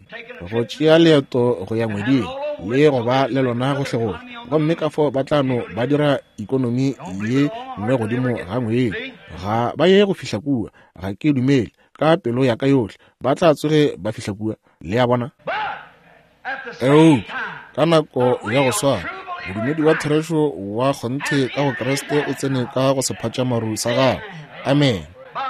go tšea leeto go ya ngweding le go ba le lona gohlegohle. Gomme ka fao ba tla no ba dira ikonomi ye nngwe godimo ga ngwedi. Ga ba ye go fihla kua, ga ke dumele ka pelo ya ka yohle ba tla tsoge ba fihla kua. Le a bona? Eupša ka nako ya go swana, modumedi wa therešo wa kgonthe ka go Kriste o tsene ka go sephatšamaru sa gagwe. Amen.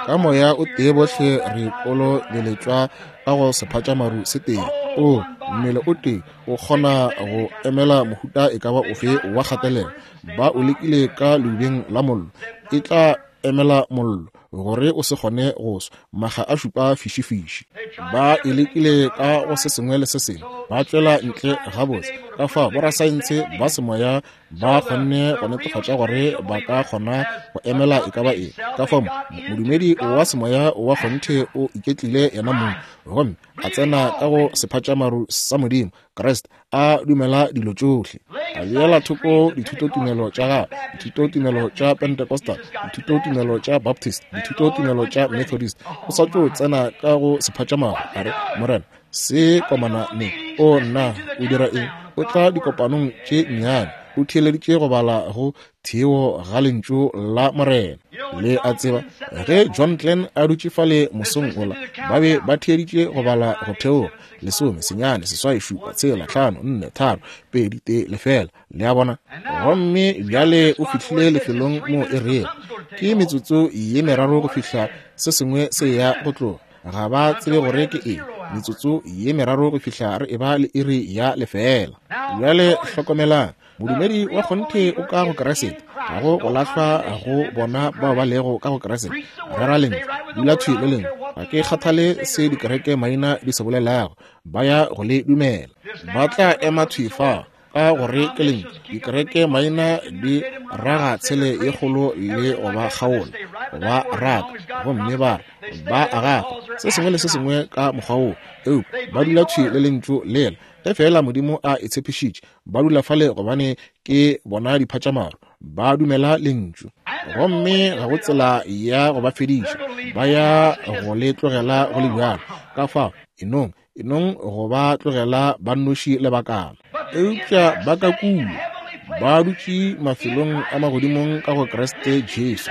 Ka moya o tee bohle re kolobeletšwa ka go sephatšamaru se tee. O mmele o tee o kgona go emela mohuta e ka ba ofe wa kgatelelo. Ba o lekile ka leubeng la mollo, e tla emela mollo gore o se kgone go swa, maga a šupa fišifiši. Ba e lekile ka go se sengwe le se sengwe, ba tšwela ntle gabotse. Ka fao borasaense ba semoya ba kgonne go netefatša gore ba ka kgona go emela e ka ba eng. Ka fao modumedi wa semoya wa kgonthe o iketlile yena mong, gomme a tsena ka go sephatšamaru sa Modimo, Kriste, a dumela dilo tšohle, a beela thoko dithutotumelo tša gagwe, dithutotumelo tša Pentecostal, dithutotumelo tša Baptist, dithutotumelo tša Methodist. O sa tšo tsena ka go sephatšamaru, a re, Morena, se komana ne. O nna, o dira eng? O tla dikopanong tše nnyane, o theeleditše go bala go theo ga lentšu la Morena. Le a tseba, ge John Glenn a dutše fale mosong ola, ba be ba theeditše go bala go theoga lesome, senyane, seswai, šupa, tshela, hlano, nne, tharo, pedi, tee, lefela. Le a bona? Gomme bjale o fihlile lefelong mo e rego ke metsotso ye meraro go fihla se sengwe se ya go tloga. Ga ba tsebe gore ke eng. Metsotso ye meraro go fihla re eba le iri ya lefela. Bjale hlokomelang, modumedi wa kgonthe o ka go Kriste, ga go go lahlwa go bona bao ba lego ka go Kriste. Rera lentšu, dula thwi le lentšu. Ga ke kgathale se dikereke maina di se bolelago, ba ya go le dumela. Ba tla ema thwi fa ka gore ke lentšu. Dikereke maina di raga tshele ye kgolo le go ba kgaola, go ba raka, gomme ba re ba agafa se sengwe le se sengwe ka mokgwa woo. Eupša ba dula thwi le lentšu lela. Ge fela Modimo a e tshepišitše, ba dula fale gobane ke bona diphatšamaru, ba dumela lentšu. Gomme ga go tsela ya go ba fediša, ba ya go le tlogela go le bjalo. Ka fao enong enong go ba tlogela ba nnoši lebakana. Eupša ba ka kua, ba dutše mafelong a magodimong ka go Kriste Jesu,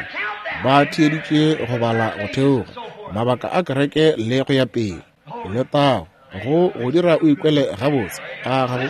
ba theeditše go bala go theoga mabaka a kereke le go ya pele. Letago go go dira o ikwele gabotse, a gago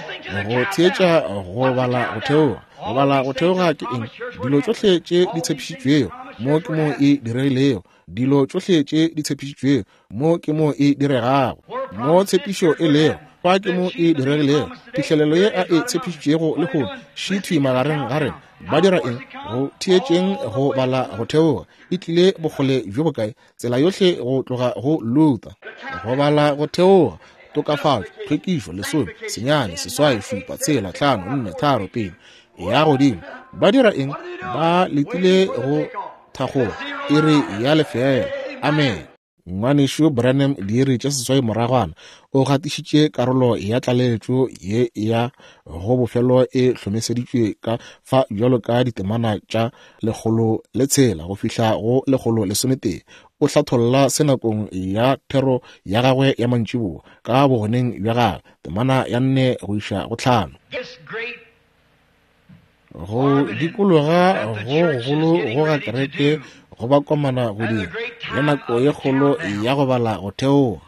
go theetša go bala go theoga. Go bala go theoga ke eng? Dilo tšohle tše di tshepišitšwego mo ke mo e diregilego. Dilo tšohle tše di tshepišitšwego mo ke mo e diregago. Mo tshepišo e lego, fa ke mo e diregilego. Phihlelelo ye a e tshepišitšego lehono šithwi magareng ga rena. Ba dira eng? Go theetšeng go bala go theoga. E tlile bokgole bjo bokae? Tsela yohle go tloga go Luther. Go bala go theoga, tokafatšo, tlhwekišo, lesome, senyane, seswai, šupa, tshela, hlano, nne, tharo, pedi, ya godimo. Ba dira eng? Ba letile go thakgola iri ya lefela. Amen. Ngwanešu Branham diiri tše seswai moragwana o gatišitše karolo ya tlaleletšo ye ya go bofelo e hlomeseditšwe ka fa bjalo ka ditemana tša lekgolo le tshela go fihla go lekgolo lesometee. O hlatholla se nakong ya thero ya gagwe ya mantšiboa ka bogoneng bja gagwe, temana ya nne go iša go tlhano. This great Go dikologa go gogolo go ga kereke go ba komana go dira le nako ye kgolo ya go bala go theoga.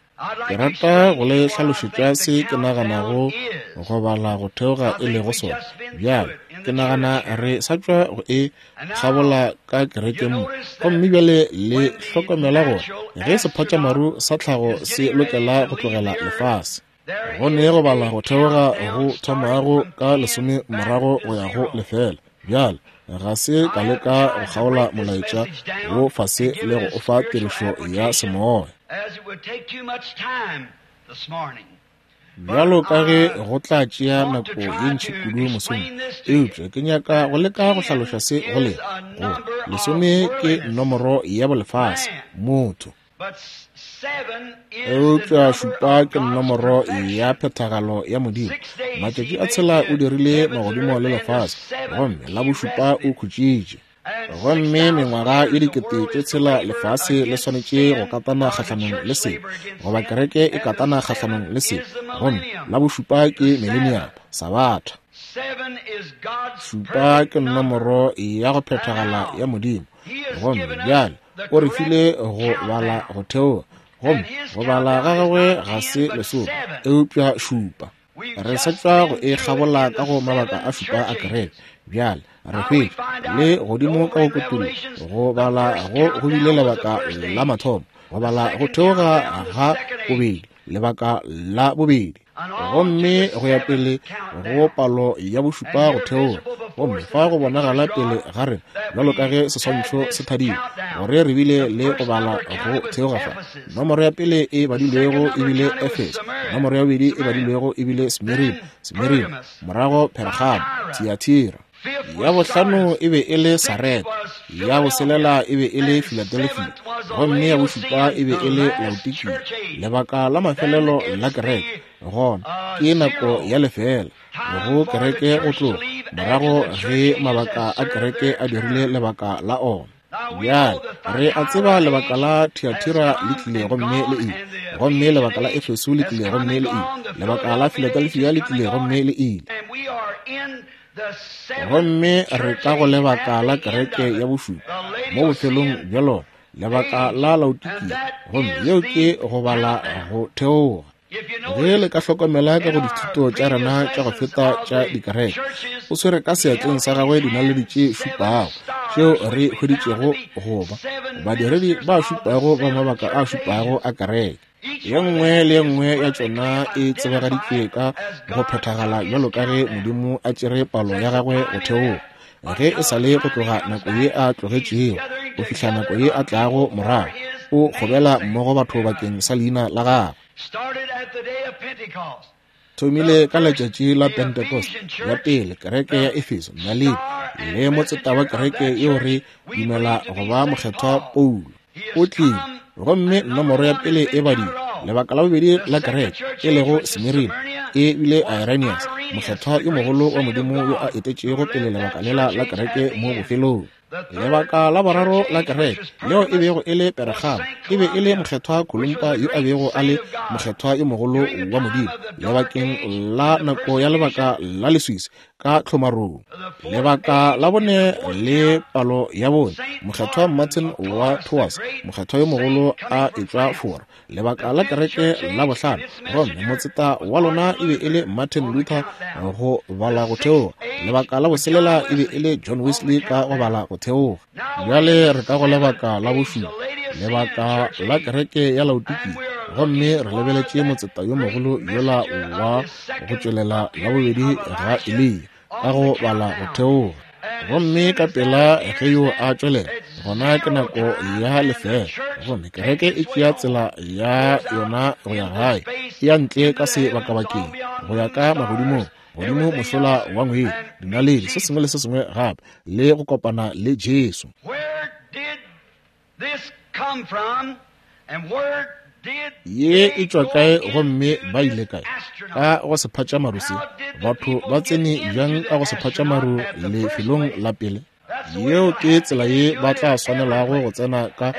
Ke rata go le hlalošetša se ke naganago go bala go theoga e lego sona. Bjale, ke nagana re sa tšwa go e kgabola ka kerekeng mo. Gomme bjale le hlokomela gore ge sephatšamaru sa tlhago se lokela go tlogela lefase, go ne go bala go theoga go thomago ka lesome morago go ya go lefela. Bjale, ga se ka leka go kgaola molaetša wo fase le go o fa tirišo ya semoya, bjalo ka ge go tla tšea nako ye ntši kudu mosong, eupša ke nyaka go leka go hlaloša se go lena gore lesome ke nomoro ya bolefase, motho, eupša šupa ke nomoro ya phethagalo ya Modimo. Matšatši a tshela o dirile magodimo le lefase, gomme la bošupa o khutšitše. Gomme mengwaga ye dikete tše tshela lefase le swanetše go katana kgahlanong le se, goba kereke e katana kgahlanong le se. Gomme la bošupa ke millennium, sabatha. Šupa ke nomoro ya go phethagala ya Modimo. Gomme bjale o re file go bala go theoga, gomme go bala ga gagwe ga se lesome, eupša šupa. Re sa tšwa go e kgabola ka go mabaka a šupa a kereke. Bjale re hwetša le godimo ka go kutullo go bala go go bile lebaka la mathomo, go bala go theoga ga bobedi, lebaka la bobedi, gomme go ya pele go palo ya bošupa go theoga. Gomme fa go bonagala pele ga rena bjalo ka ge seswantšho se thadile gore re bile le go bala go theoga fa. Nomoro ya pele e badilwego e bile Efeso, nomoro ya bobedi e badilwego e bile Smirina, Smirina, morago Pergamo, Thiatira. Ya bohlano e be e le Sareta, ya boselela e be e le Philadelphia, gomme ya bošupa e be e le Laodikia. Lebaka la mafelelo la kereke gona ke nako ya lefela go kereke go tloga morago ge mabaka a kereke a dirile lebaka la ona. Bjale re a tseba lebaka la Thiatira le tlile gomme le ile, gomme lebaka la Efeso le tlile gomme le ile, lebaka la Philadelphia le tlile gomme le ile. Gomme re ka go lebaka la kereke ya bošupa mo bofelong bja lona, lebaka la Laodikia, gomme yeo ke go bala go theoga. Ge le ka hlokomela ka go dithuto tša rena tša go feta tša dikereke, o swere ka seatleng sa gagwe dinaledi tše šupago tšeo re hweditšego go ba badiredi ba šupago ba mabaka a šupago a kereke. Ye nngwe le ye nngwe ya tšona e tsebagaditšwe ka go phethagala bjalo ka ge Modimo a tšere palo ya gagwe go theoga, ge e sa le go tloga nako ye a tlogetšego go fihla nako ye a tlago morago, o kgobela mmogo batho bakeng sa leina la gagwe. Thomile ka letšatši la Pentecost ya pele kereke ya Efeso, naledi le motseta wa kereke yeo re dumela go ba mokgethwa Paulo o tlile, gomme nomoro ya pele e badile. Lebaka la bobedi la kereke e lego Smirina e bile Irenaeus, mokgethwa yo mogolo wa Modimo yo a etetšego pele lebaka lela la kereke mo bofelong. Lebaka la boraro la kereke leo e bego e le Pergamo e be e le mokgethwa Columba yo a bego a le mokgethwa yo mogolo wa Modimo lebakeng la nako ya lebaka la leswiswi ka tlhomarong. Lebaka la bone le palo ya bone, mokgethwa Martin wa Tours, mokgethwa yo mogolo a etšwa Fora. Lebaka la kereke la bohlano, gomme motseta wa lona e be e le Martin Luther go bala go theoga. Lebaka la boselela e be e le John Wesley ka go bala go theoga. Bjale re ka go lebaka la bošupa, lebaka la kereke ya Laodikia, gomme re lebeletše motseta yo mogolo yola wa go tšwelela la bobedi ga Eliya ka go bala go theoga. Gomme ka pela ge yo a tšwelela, gona ke nako ya lefela, gomme kereke e tšea tsela ya yona go ya gae, e ya ntle ka sebakabakeng go ya ka magodimong, godimo mošola wa ngwedi, dinaledi, se sengwe le se sengwe gape, le go kopana le Jesu. Ye e tšwa kae gomme ba ile kae? Ka go sephatšamaru se. Batho ba tsene bjang ka go sephatšamaru lefelong la pele? Yeo ke tsela ye ba tla swanelago go tsena ka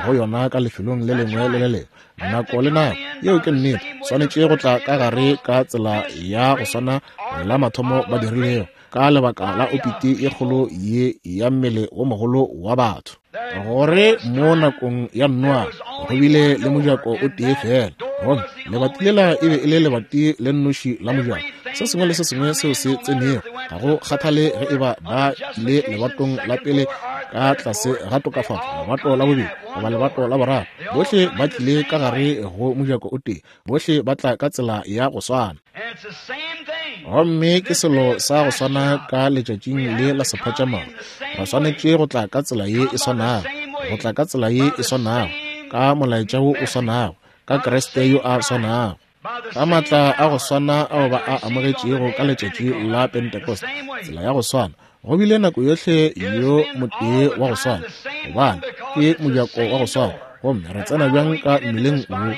go yona ka lefelong le lengwe le le lengwe, nako le nako. Yeo ke nnete. Swanetše go tla ka gare ka tsela ya go swana la mathomo ba dirilego, ka lebaka la opiti ye kgolo ye ya mmele wo mogolo wa batho. Gore mo nakong ya Noa go bile le mojako o tee fela, gomme lebati lela e be e le lebati le nnoši la mojako. Se sengwe le se sengwe seo se tsenego, ga go kgathale ge e ba ba ile lebatong la pele ka tlase ga tokafatšo, lebato la bobedi goba lebato la boraro, bohle ba tlile ka gare go mojako o tee, bohle ba tla ka tsela ya go swana. Gomme ke selo sa go swana ka letšatšing le la sephatšamaru. Re swanetše go tla ka tsela ye e swanago, go tla ka tsela ye e swanago, ka molaetša wo o swanago, ka Kriste yo a swanago, ka maatla a go swana ao ba a amogetšego ka letšatši la Pentecost, tsela ya go swana. Go bile nako yohle yo motee wa go swana, gobane ke mojako wa go swana. Gomme re tsena bjang ka mmeleng wo?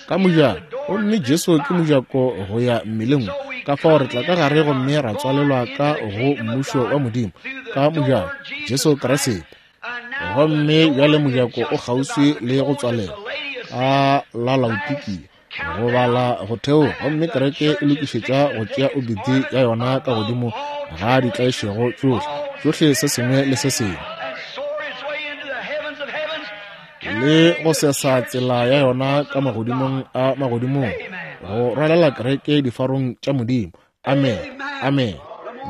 Ka mojako. Gomme Jesu ke mojako go ya mmeleng wo. Ka fao re tla ka gare gomme ra tswalelwa ka go mmušo wa Modimo ka mojako, Jesu Kriste. Gomme bjale mojako o kgauswi le go tswalelwa ka la Laodikia, go bala go theoga, gomme kereke e lokišetša go tšea obiti ya yona ka godimo ga ditlaišego tšohle, tšohle se sengwe le se sengwe, le go sesa tsela ya yona ka magodimong a magodimong, go rwalela kereke difarong tša Modimo. Amen, amen.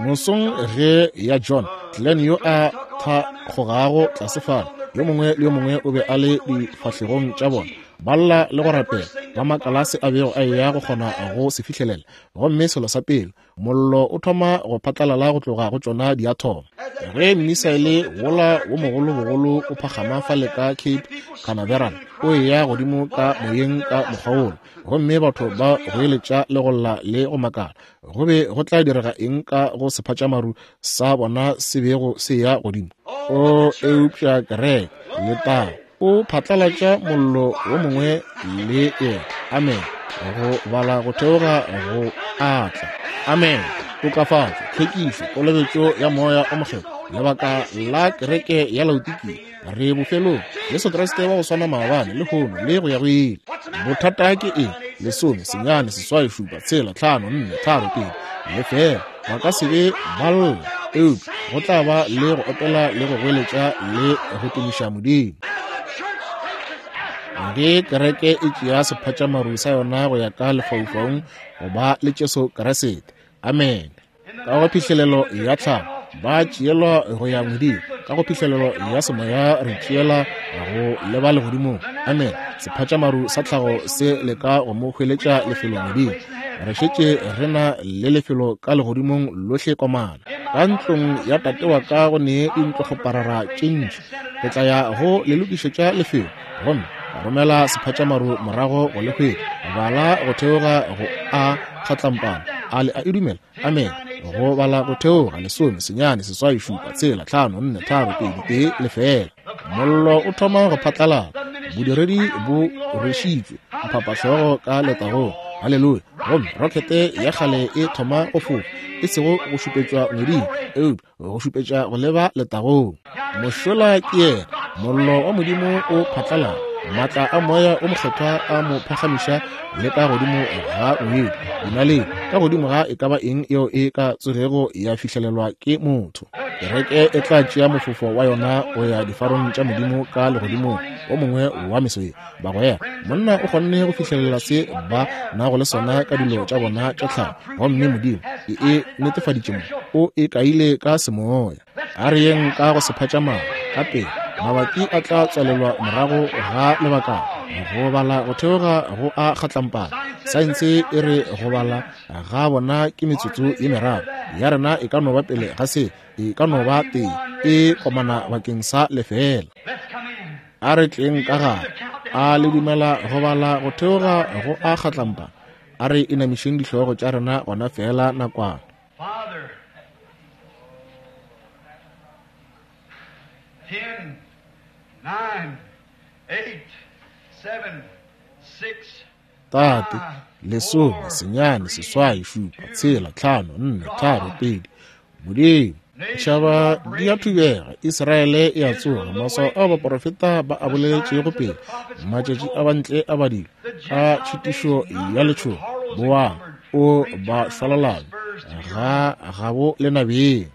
Mosong ge ya John Glenn yo a thakgogago tlase fale, yo mongwe le yo mongwe o be a le difahlegong tša bona, ba lla le go rapela, ba makala se a bego a eya go kgona go se fihlelela. Gomme selo sa pele, mollo o thoma go phatlalala go tloga go tšona diathomo. Ge mmisaele wola wo mogolobogolo o phagama fale ka Cape Canaveral, o eya godimo ka moyeng ka mokgwa wola, gomme batho ba goeletša le go lla le go makala, go be go tla direga eng ka go sephatšamaru sa bona se bego se ya godimo? O eupša kereke letago o phatlalatša mollo wo mongwe le yena. Amen. Go bala go theoga go atla. Amen. Tokafatšo, tlhwekišo, kolobetšo ya Moya o Mokgethwa, lebaka la kereke ya Laodikia. Re bofelong. Jesu Kriste wa go swana maabane, lehono le go ya go ile. Bothata ke eng? Lesome, senyane, seswai, šupa, tshela, tlhano, nne, tharo, pedi, lefela. Ba ka se be ba lla, eupša go tla ba le go opela le go goeletša le go tumiša Modimo. Ge kereke e tšea sephatšamaru sa yona go ya ka lefaufaung go ba le Jesu Kriste. Amen. Ka go phihlelelo ya tlhago ba tšeelwa go ya Modimo, ka go phihlelelo ya semoya re tšeela go leba legodimong. Amen. Sephatšamaru sa tlhago se leka go mo hweletša lefelo Modimo. Re šetše re na le lefelo ka legodimong lohle komana. Ka ntlong ya tate wa ka go ne dintlokgoparara tše ntši. Ke tla ya go le lokišetša lefelo, gomme ka romela sephatšamaru morago go le hwetša. Bala go theoga go a kgatlampana. A le a e dumela? Amen. Go bala go theoga lesome, senyane, seswai, šupa, tshela, tlhano, nne, tharo, pedi, tee, lefela. Mollo o thoma go phatlalala. Bodiredi bo rwešitšwe mphapahlogo ka letagong. Haleluya. Gomme rokete ya kgale e thoma go fofa, e sego go šupetšwa ngweding, eupša go šupetša go leba letagong. Mošola ke yena, mollo wa Modimo o phatlalala, maatla a Moya o Mokgethwa a mo phagamiša le ka godimo ga ngwedi, dinaledi, ka godimo ga e ka ba eng yeo e ka tsogego ya fihlelelwa ke motho. Kereke e tla tšea mofofo wa yona go ya difarong tša Modimo ka legodimong o mongwe wa meso ye. Bagwera, monna o kgonne go fihlelela se ba nago le sona ka dilo tša bona tša tlhago, gomme Modimo e e netefaditše mo, o e kaile ka semoya. A re yeng ka go sephatšamaru ka pele, mabati a tla tswalelwa morago ga lebakana. Go bala go theoga go a kgatlampana. Saense e re go bala ga bona ke metsotso ye meraro, ya rena e ka no ba pele ga se, e ka no ba tee, e komana bakeng sa lefela. A re tleng ka gare. A le dumela go bala go theoga go a kgatlampana? A re inamišeng dihlogo tša rena gona fela nakwana. Ten, nine, eight, seven, six, Tate, lesome, senyane, seswai, šupa, tshela, tlhano, nne, tharo, pedi. Modimo, ditšhaba di a thubega, Israele e a tsoga, maswao ao baporofeta ba a boleletšego pele, matšatši a bantle a badilwe ka tšhitišo ya letšhogo. Boang, o ba šwalalanya, ga gabo lenabeng.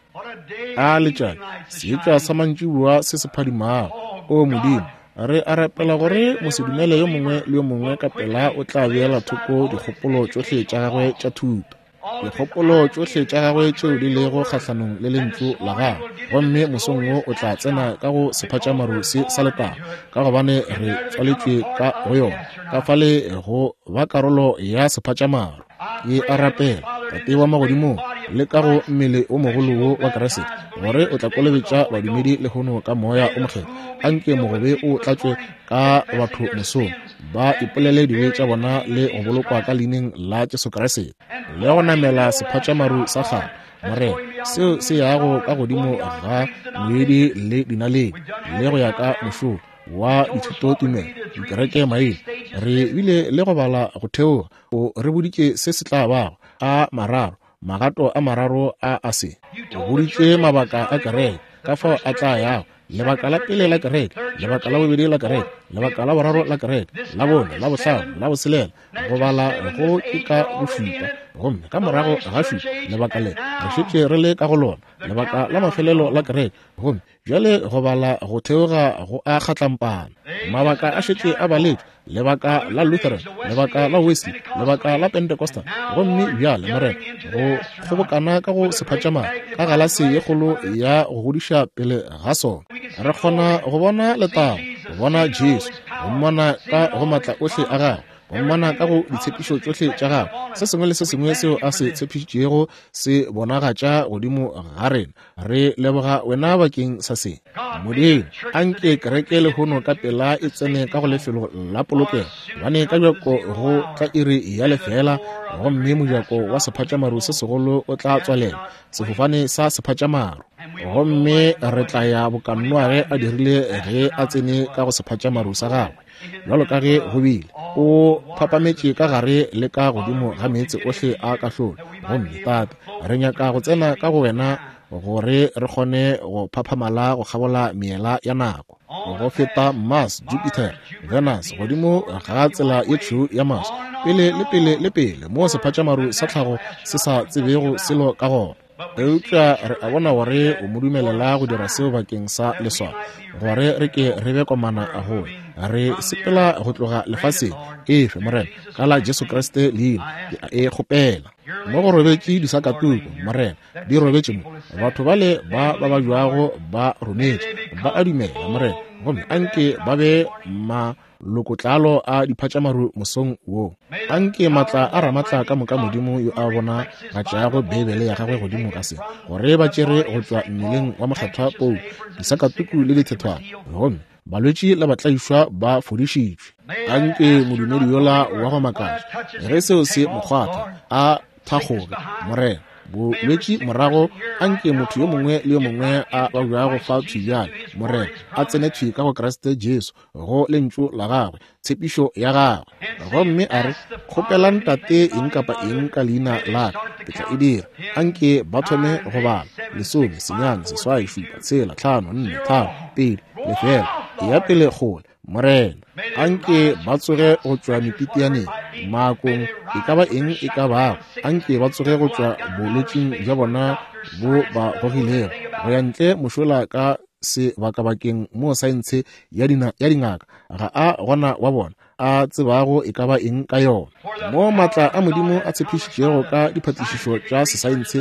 A letšatši seetša sa mantšiboa se se phadimago. O Modimo, re a rapela gore mosedumele yo mongwe le yo mongwe ka pela o tla beela thoko dikgopolo tšohle tša gagwe tša thuto, dikgopolo tšohle tša gagwe tšeo di lego kgahlanong le lentšu la gagwe, gomme mosong wo o tla tsena ka go sephatšamaru se sa letago, ka gobane re tswaletšwe ka go yona, ka fale go ba karolo ya sephatšamaru. Ke a rapela, Tate wa magodimong, le ka go mmele o mogolo wo wa Kriste, gore o tla kolobetša badumedi lehono ka Moya o Mokgethwa. Anke mogobe o tlatšwe ka batho mosong, ba ipolele dibe tša bona le go bolokwa ka leineng la Jesu Kriste, le go namela sephatšamaru sa kgale, Morena, seo se yago ka godimo ga moedi le dinaledi, le go ya ka mošomo wa dithutotumelo, dikereke maina. Re bile le go bala go theoga, o re boditše se se tla bago a mararo, magato a mararo a a se. O boditše mabaka a kereke, ka fao a tla yago, lebaka la pele la kereke, lebaka la bobedi la kereke, lebaka la boraro la kereke, la bone, la bohlano, la boselela, go bala go ke ka bošupa, gomme ka morago ga šupa lebaka le re šetše re le ka go lona, lebaka la mafelelo la kereke, gomme bjale go bala go theoga go a kgatlampana. Mabaka a šetše a baletšwe, lebaka la Lutheran, lebaka la Wesley, lebaka la Pentecostal, gomme bjale Morena go kgobokana ka go sephatšamaru ka galase ye kgolo ya go godiša pele ga sona. Re kgona go bona letago, go bona Jesu, go mmona ka go matla ohle a gagwe, go mmona ka go ditshepišo tšohle tša gagwe. Se sengwe le se sengwe seo a se tshepišitšego se bonagatša godimo ga rena. Re leboga wena bakeng sa se. Modimo, anke kereke lehono ka pela e tsene ka go lefelo la polokego, gobane ka bjako go tla iri ya lefela, gomme mojako wa sephatšamaru se segolo o tla tswalela, sefofane sa sephatšamaru, gomme re tla ya boka Noage a dirile ge a tsene ka go sephatšamaru sa gagwe, bjalo ka ge go bile o phapametše ka gare le ka godimo ga meetse ohle a kahlolo. Gomme Tate, re nyaka go tsena ka go wena gore re kgone go phaphamala go kgabola meela ya nako, go feta Mars, Jupiter, Venus, godimo ga tsela ye tšhweu ya Mars, pele le pele le pele, mo sephatšamaru sa tlhago se sa tsebego selo ka gona. Eupša re a bona gore o mo dumelela go dira seo bakeng sa leswao, gore re ke re be komana go re sepela go tloga lefaseng. Efe Morena, ka la Jesu Kriste leina ke a e kgopela. Mo go robetše disakatuku, Morena, di robetše mo. Batho bale ba ba bajwago ba rometše, ba a dumela, Morena, gomme anke ba be malokotlalo a diphatšamaru mosong wo. Anke matla a ramatla ka moka Modimo yo a bona gatšago Beibele ya gagwe godimo ga se, gore ba tšere go tšwa mmeleng wa mokgethwa Paulo disakatuku le dithethwana, gomme balwetši le batlaišwa ba fodišitšwe. Anke modumedi yola wa go makatša, ge seo se mo kgwatha, a thakgoge, Morena, bolwetši morago. Anke motho yo mongwe le yo mongwe a babjago fa thwi bjale, Morena, a tsene thwi ka go Kriste Jesu, go lentšu la gagwe, tshepišo ya gagwe, gomme a re, kgopelang Tate eng kapa eng ka leina la ka, ke tla e dira. Anke ba thome go bala lesome, senyane, seswai, šupa, tshela, tlhano, nne, tharo, pedi, lefela, ya pele kgole, Morena. Anke ba tsoge go tšwa mepitianeng, maakong, e ka ba eng e ka bago. Anke ba tsoge go tšwa bolwetšing bja bona bo ba gogilego go ya ntle mošola ka sebakabakeng mo saense ya dingaka ga a gona wa bona a tsebago e ka ba eng ka yona. Mo matla a Modimo a tshepišitšego ka diphatišišo tša sesaense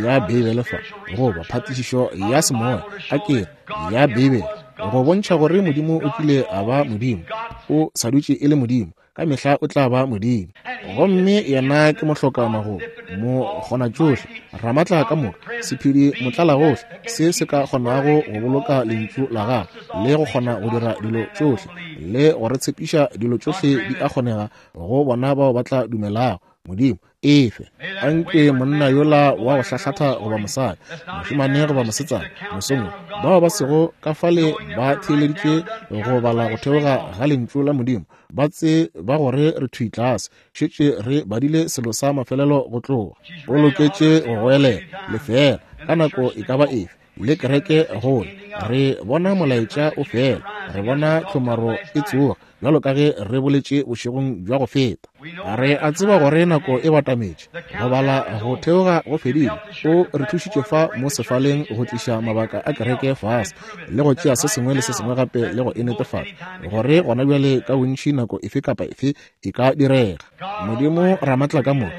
ya Beibele fa, goba phatišišo ya semoya a kere ya Beibele, go bontšha gore Modimo o kile a ba Modimo, o sa dutše e le Modimo, ka mehla o tla ba Modimo. Gomme yena ke mohloka magomo, mo kgona tšohle, ramatla ka moka, sephedi motlala gohle, se se ka kgonago go boloka lentšu la gagwe le go kgona go dira dilo tšohle le go re tshepiša dilo tšohle di a kgonega go bona bao ba tla dumelago. Modimo efe, anke monna yola wa go hlahlatha goba mosadi, mošemane goba mosetsana, mosong bao ba sego ka fale ba theeleditše go bala go theoga ga lentšu la Modimo, ba tse ba gore re thwi tlase, šetše re badile selo sa mafelelo go tloga. O loketše go goelela lefela ka nako e ka ba efe, le kereke gole re bona molaetša o fela. Re bona tlhomaro e tsoga, bjalo ka ge re boletše bošegong bja go feta. Re a tseba gore nako e batametše, go bala go theoga go fedile. O re thušitše fa mo sefaleng go tliša mabaka a kereke fase le go tšea se sengwe le se sengwe gape le go e netefatša gore gona bjale ka bontši nako efe kapa efe e ka direga. Modimo Ramatlakamoka,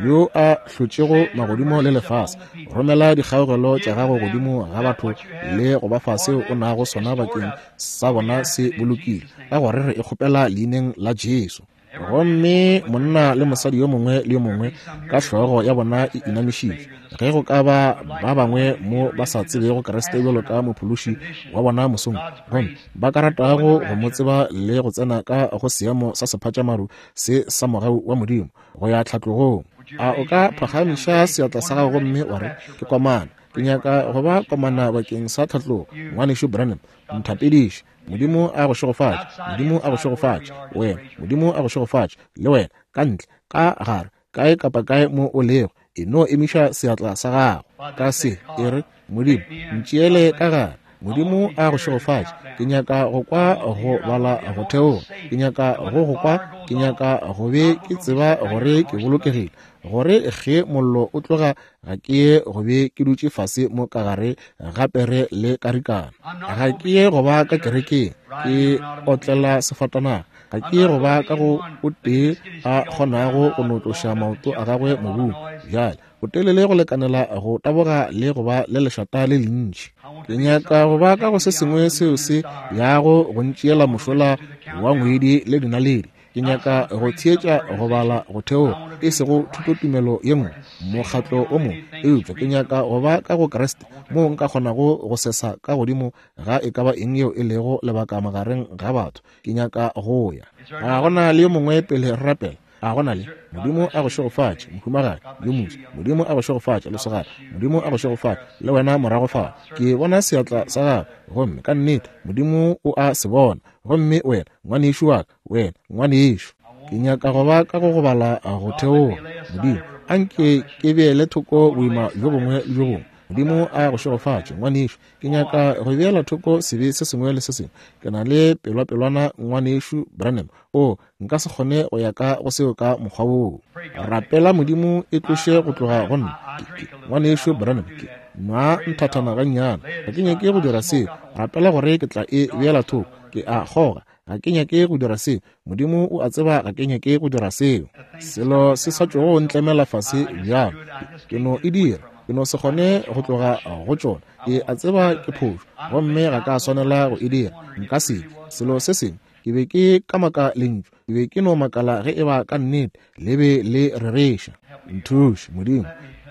yo a hlotšego magodimo le lefase, romela dikgaogelo tša gago godimo ga batho le go ba fa seo o nago sona bakeng sa bona se bolokile, ka gore re e kgopela leineng la Jesu. Gomme monna le mosadi yo mongwe le yo mongwe ka hlogo ya bona e inamišitšwe, ge go ka ba ba bangwe mo ba sa tsebego Kriste bjalo ka mophološi wa bona mosong, gomme ba ka ratago go mo tseba le go tsena ka go seemo sa sephatšamaru se sa mogau wa Modimo go ya tlhatlogong, a o ka phagamiša seatla sa gago gomme wa re, ke komana, ke nyaka go ba komana bakeng sa tlhatlogo. Ngwanešu Branham, nthapediše. Modimo a go šegofatše. Modimo a go šegofatše wena. Modimo a go šegofatše le wena, ka ntle, ka gare, kae kapa kae mo o lego, e no emiša seatla sa gago ka se, e re, Modimo, ntšeele ka gare. Modimo a go šegofatše. Ke nyaka go kwa go bala go theoga. Ke nyaka go go kwa. Ke nyaka go be ke tseba gore ke bolokegile, gore ge mollo o tloga ga ke ye go be ke dutše fase mo ka gare ga pere le karikana. Ga ke ye go ba ka kerekeng ke otlela sefatanaga. Ga ke ye go ba ka go o tee a kgonago go no tloša maoto a gagwe mobung bjale o telele go lekanela go taboga le go ba le lešata le lentši. Ke nyaka go ba ka go se sengwe seo se yago go ntšeela mošola wa ngwedi le dinaledi. Ke nyaka go theetša go bala go theoga, e sego thutotumelo ye nngwe, mokgatlo o mongwe, eupša ke nyaka go ba ka go Kriste moo nka kgonago go sesa ka godimo ga e ka ba eng yeo e lego lebaka magareng ga batho. Ke nyaka go ya. Ga gona le yo mongwe pele re rapela? A gona le? Modimo a go šegofatše, mohumagadi yo moso. Modimo a go šegofatše, lesogana. Modimo a go šegofatše le wena morago fa. Ke bona seatla sa gago, gomme ka nnete Modimo o a se bona. Gomme wena ngwanešu wa ka, wena ngwanešu, ke nyaka go ba ka go go bala go theoga. Modimo, anke ke beele thoko boima bjo bongwe le bjo bongwe. Modimo a go šegofatše, ngwanešu. Ke nyaka go beela thoko sebe se sengwe le se sengwe. Ke na le pelwapelwana, ngwanešu Branham. O, nka se kgone go ya ka go seo ka mokgwa woo. Rapela Modimo e tloše go tloga go nna. Ke, ngwanešu Branham, ke nwa nthathana gannyane. Ga ke nyake go dira seo. Rapela gore ke tla e beela thoko. Ke a kgoga. Ga ke nyake go dira seo. Modimo o a tseba ga ke nyake go dira seo. Selo se sa tšogo ntlemela fase bjalo. Ke no e dira. Ke no se kgone go tloga go tšona. Ke a tseba ke phošo, gomme ga ka swanela go e dira. Nka se ke. Selo se sengwe, ke be ke kamaka lentšu. Ke be ke no makala ge e ba ka nnete le be le rereša. Nthuše, Modimo.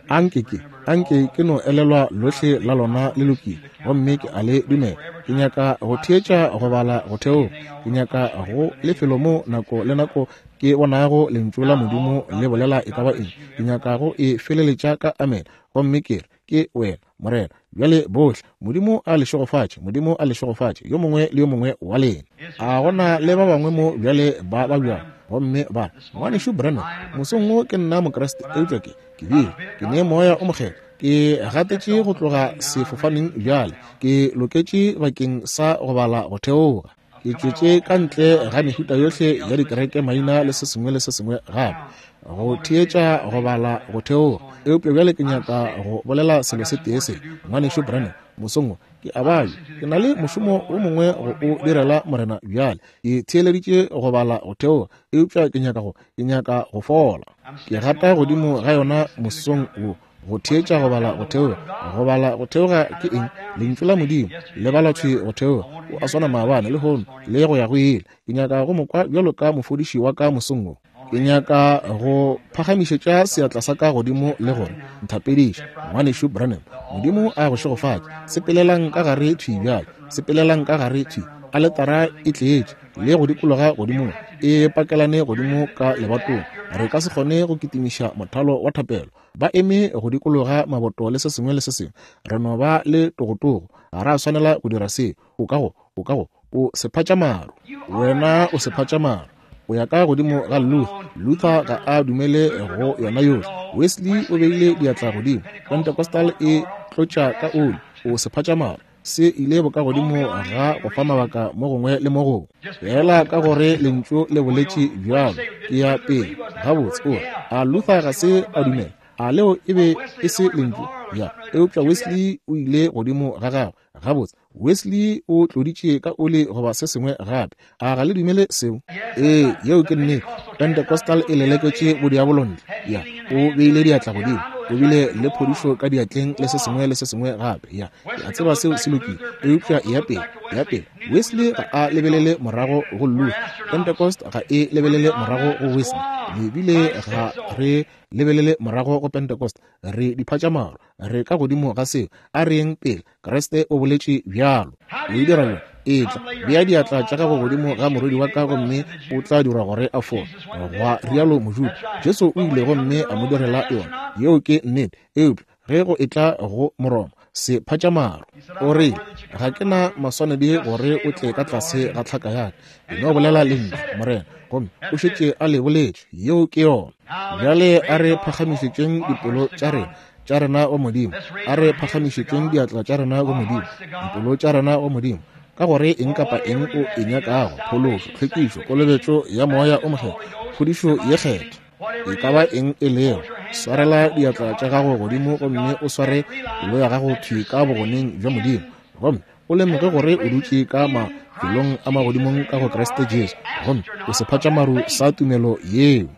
Anke ke, anke ke no elelwa lohle la lona le lokile, gomme ke a le dumela. Ke nyaka go theetša go bala go theoga. Ke nyaka go lefelo mo nako le nako ke bonago lentšu la Modimo le bolela e ka ba eng. Ke nyaka go e feleletša ka amen, gomme ke re, ke wena, Morena. Bjale bohle, Modimo a le šegofatše, Modimo a le šegofatše, yo mongwe le yo mongwe wa lena. A gona le ba bangwe mo bjale ba babjang, gomme ba re, ngwanešu Branham, mosong wo ke nna Mokriste, eupša ke, ke bile, ke ne moya o mokgethwa. Ke gatetše go tloga sefofaneng bjale, ke loketše bakeng sa go bala go theoga. Ke tšwetše ka ntle ga mehuta yohle ya dikereke maina le se sengwe le se sengwe gape, go theetša go bala go theoga. Eupša bjale ke nyaka go bolela selo se tee se, ngwanešu Branham, mosong wo ke a babja. Ke na le mošomo o mongwe go o direla Morena bjale. Ke theeleditše go bala go theoga, eupša ke nyaka go, ke nyaka go fola. Ke gata godimo ga yona mosong wo, go theetša go bala go theoga. Go bala go theoga ke eng? Lentšu la Modimo le bala thwi go theoga. O a swana maabane, lehono le go ya go ile. Ke nyaka go mo kwa bjalo ka mofodiši wa ka mosong wo. Ke nyaka go phagamišetša seatla sa ka godimo le gore, nthapediše, ngwanešu Branham. Modimo a go šegofatše. Sepelelang ka gare thwi bjale. Sepelelang ka gare thwi. Aletara e tletše le go dikologa godimo, e pakelane godimo ka lebatong. Re ka se kgone go kitimiša mothalo wa thapelo. Ba eme go dikologa maboto le se sengwe le se sengwe. Re no ba le togotogo. Ga ra swanela go dira se. O ka go, o ka go, o sephatšamaru. Wena o sephatšamaru. O ya ka godimo ga Luther. Luther ga a dumele go yona yohle. Wesley o beile diatla godimo. Pentecostal e tlotša ka oli. O sephatšamaru. Se ile bokagodimo ga go fa mabaka mo gongwe le mo gongwe. Fela ka gore lentšu le boletše bjalo, ke ya pele. Gabotse, o re, a Luther ga se a dumela? A leo e be e se lentšu? Ya, eupša Wesley o ile godimo ga gagwe. Gabotse, Wesley o tloditše ka oli goba se sengwe gape. A ga le dumele seo? Ee, yeo ke nnete. Pentecostal e leleketše bodiabolo ntle. Ya, o beile diatla godimo, o bile le phodišo ka diatleng le se sengwe le se sengwe gape. Ya, ke a tseba seo se lokile, eupša ya pele, ya pele. Wesley ga a lebelele morago go Luther. Pentecost ga e lebelele morago go Wesley. Le bile ga re lebelele morago go Pentecost. Re diphatšamaru, re ka godimo ga seo. A re yeng pele. Kriste o boletše bjalo. O e dira bjang? Etla, bea diatla tša gago godimo ga morwedi wa ka gomme o tla dirwa gore a fole, gwa rialo Mojuda. Jesu o ile gomme a mo direla yona. Yeo ke nnete. Eupša ge go etla go Moroma, se phatšamaru, o re, ga ke na maswanedi gore o tle ka tlase ga tlhaka ya ka. E no bolela lentšu, Morena, gomme o šetše a le boletše. Yeo ke yona. Bjale a re phagamišetšeng dipelo tša rena tša rena go Modimo. A re phagamišetšeng diatla tša rena go Modimo, dipelo tša rena go Modimo, ka gore eng kapa eng o e nyakago, phološo, tlhwekišo, kolobetšo ya Moya o Mokgethwa, phodišo ye kgethwa, e ka ba eng e lego, swarela diatla tša gago godimo gomme o sware pelo ya gago thwi ka bogoneng bja Modimo, gomme o lemoge gore o dutše ka mafelong a magodimong ka go Kriste Jesu, gomme o sephatšamaru sa tumelo yeo.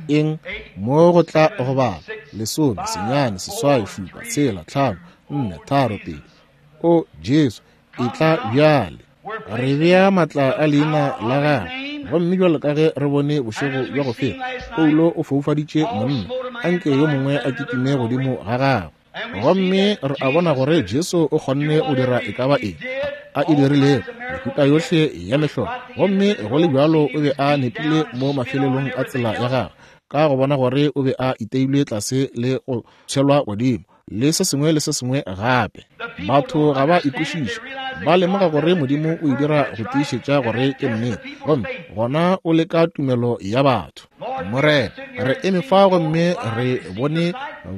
Eng mo go tla go bala lesome, senyane, seswai, šupa, tshela, tlhano, nne, tharo, pedi. O Jesu, e tla bjale. Re bea matla a leina la gagwe. Gomme bjalo ka ge re bone bošego bja go feta, Paulo o foufaditše monna, anke yo mongwe a kitime godimo ga gagwe. Gomme re a bona gore Jesu o kgonne go dira e ka ba eng a e dirilego, mehuta yohle ya mehlolo. Gomme go le bjalo o be a nepile mo mafelelong a tsela ya gagwe, ka go bona gore o be a iteilwe tlase le go tshwelwa godimo le se sengwe le se sengwe gape. Batho ga ba ikwešiše, ba lemoga gore Modimo o e dira go tiišetša gore ke nnete, gomme gona o leka tumelo ya batho. Morena, re eme fa gomme re bone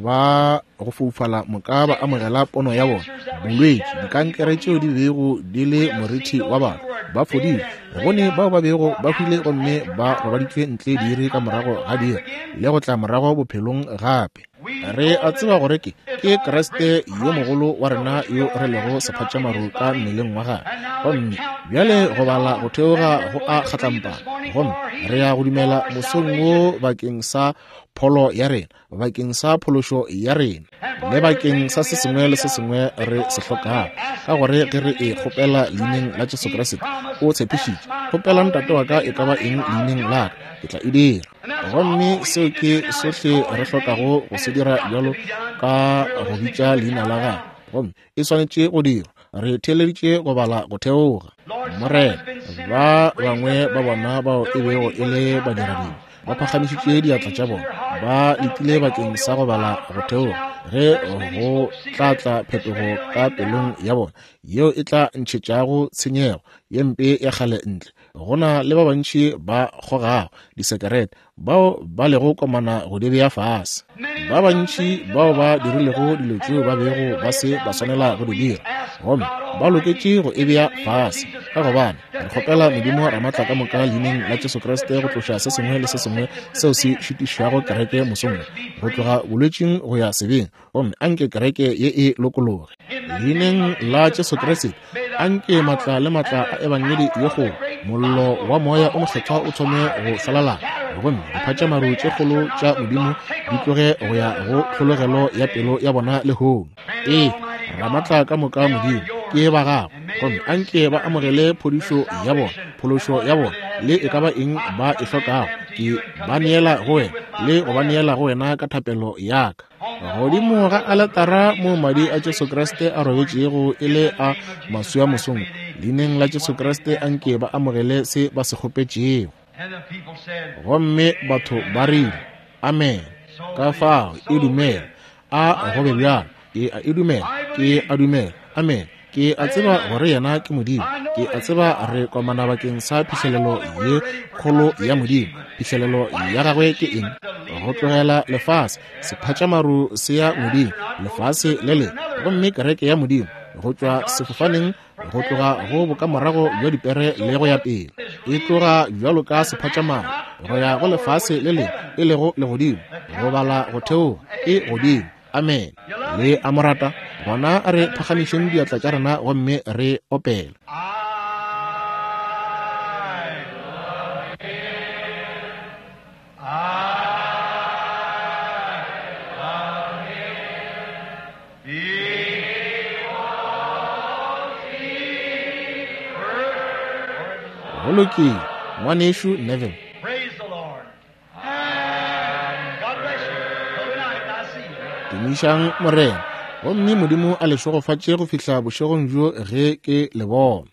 ba go foufala moka ba amogela pono ya bona, bolwetši, dikankere tšeo di bego di le morithi wa batho ba fodile. Re bone bao ba bego ba hwile gomme ba robaditšwe ntle diiri ka morago ga diiri le go tla morago bophelong gape. Re a tseba gore ke ke Kriste yo mogolo wa rena yo re lego sephatšamaru ka mmeleng wa gagwe. Gomme bjale go bala go theoga go a kgatlampana, gomme re ya go dumela mosong wo bakeng sa pholo ya rena, bakeng sa phološo ya rena, le bakeng sa se sengwe le se sengwe re se hlokago, ka gore ge re e kgopela leineng la Jesu Kriste, o tshepišitše, kgopela Ntate wa ka e ka ba eng leineng la ka, ke tla e dira. Gomme seo ke sohle re hlokago go se dira bjalo ka go bitša leina la gagwe, gomme e swanetše go dirwa. Re theeleditše go bala go theoga. Morena, ba bangwe ba bona bao e bego e le badiradibe ba phagamišitše diatla tša bona, ba letile bakeng sa go bala go theoga, ge go tla tla phetogo ka pelong ya bona yeo e tla ntšhetšago tshenyego ye mpe ya kgale ntle. Go na le ba bantši ba kgogago disekerete bao ba lego komana go di bea fase, ba bantši bao ba dirilego dilo tšeo ba bego ba se ba swanela go di dira, gomme ba loketše go e bea fase. Ka gobane re kgopela Modimo Ramatla ka moka leineng la Jesu Kriste go tloša se sengwe le se sengwe seo se šitišago kereke mosong wo, go tloga bolwetšing go ya sebeng, gomme anke kereke ye e lokologe. Leineng la Jesu Kriste, anke matla le matla a ebangedi ye kgolo, mollo wa Moya o Mokgethwa o thome go šwalalana, gomme diphatšamaru tše kgolo tša Modimo di tloge go ya go tlhologelo ya pelo ya bona lehono. Ee, Ramatla ka moka Modimo ke ba gago, gomme anke ba amogele phodišo ya bona, phološo ya bona, le e ka ba eng ba e hlokago. Ke ba neela go wena le go ba neela go wena ka thapelo ya ka. Godimo ga aletara mo madi a Jesu Kriste a robetšego e le a maswi a mosong, leineng la Jesu Kriste anke ba amogele se ba se kgopetšego. Gomme batho ba rile, amen. Ka fao e dumela, a go be bjalo. Ke a e dumela, ke a dumela, amen. Ke a tseba gore yena ke Modimo. Ke a tseba re komana bakeng sa phihlelelo ye kgolo ya Modimo. Phihlelelo ya gagwe ke eng? Go tlogela lefase, sephatšamaru se ya ngweding, lefase le lengwe, gomme kereke ya Modimo go tšwa sefofaneng, go tloga go bokamorago bja dipere le go ya pele, e tloga bjalo ka sephatšamaru go ya go lefase le lengwe, e lego legodimo, go bala go theoga, e godimo. Amen. Le a mo rata? Gona a re phagamišeng diatla tša rena gomme re opele. Go lokile, ngwanešu Neville. Tumišang Morena, gomme Modimo a le šegofatše go fihla bošegong bjo ge ke le bona.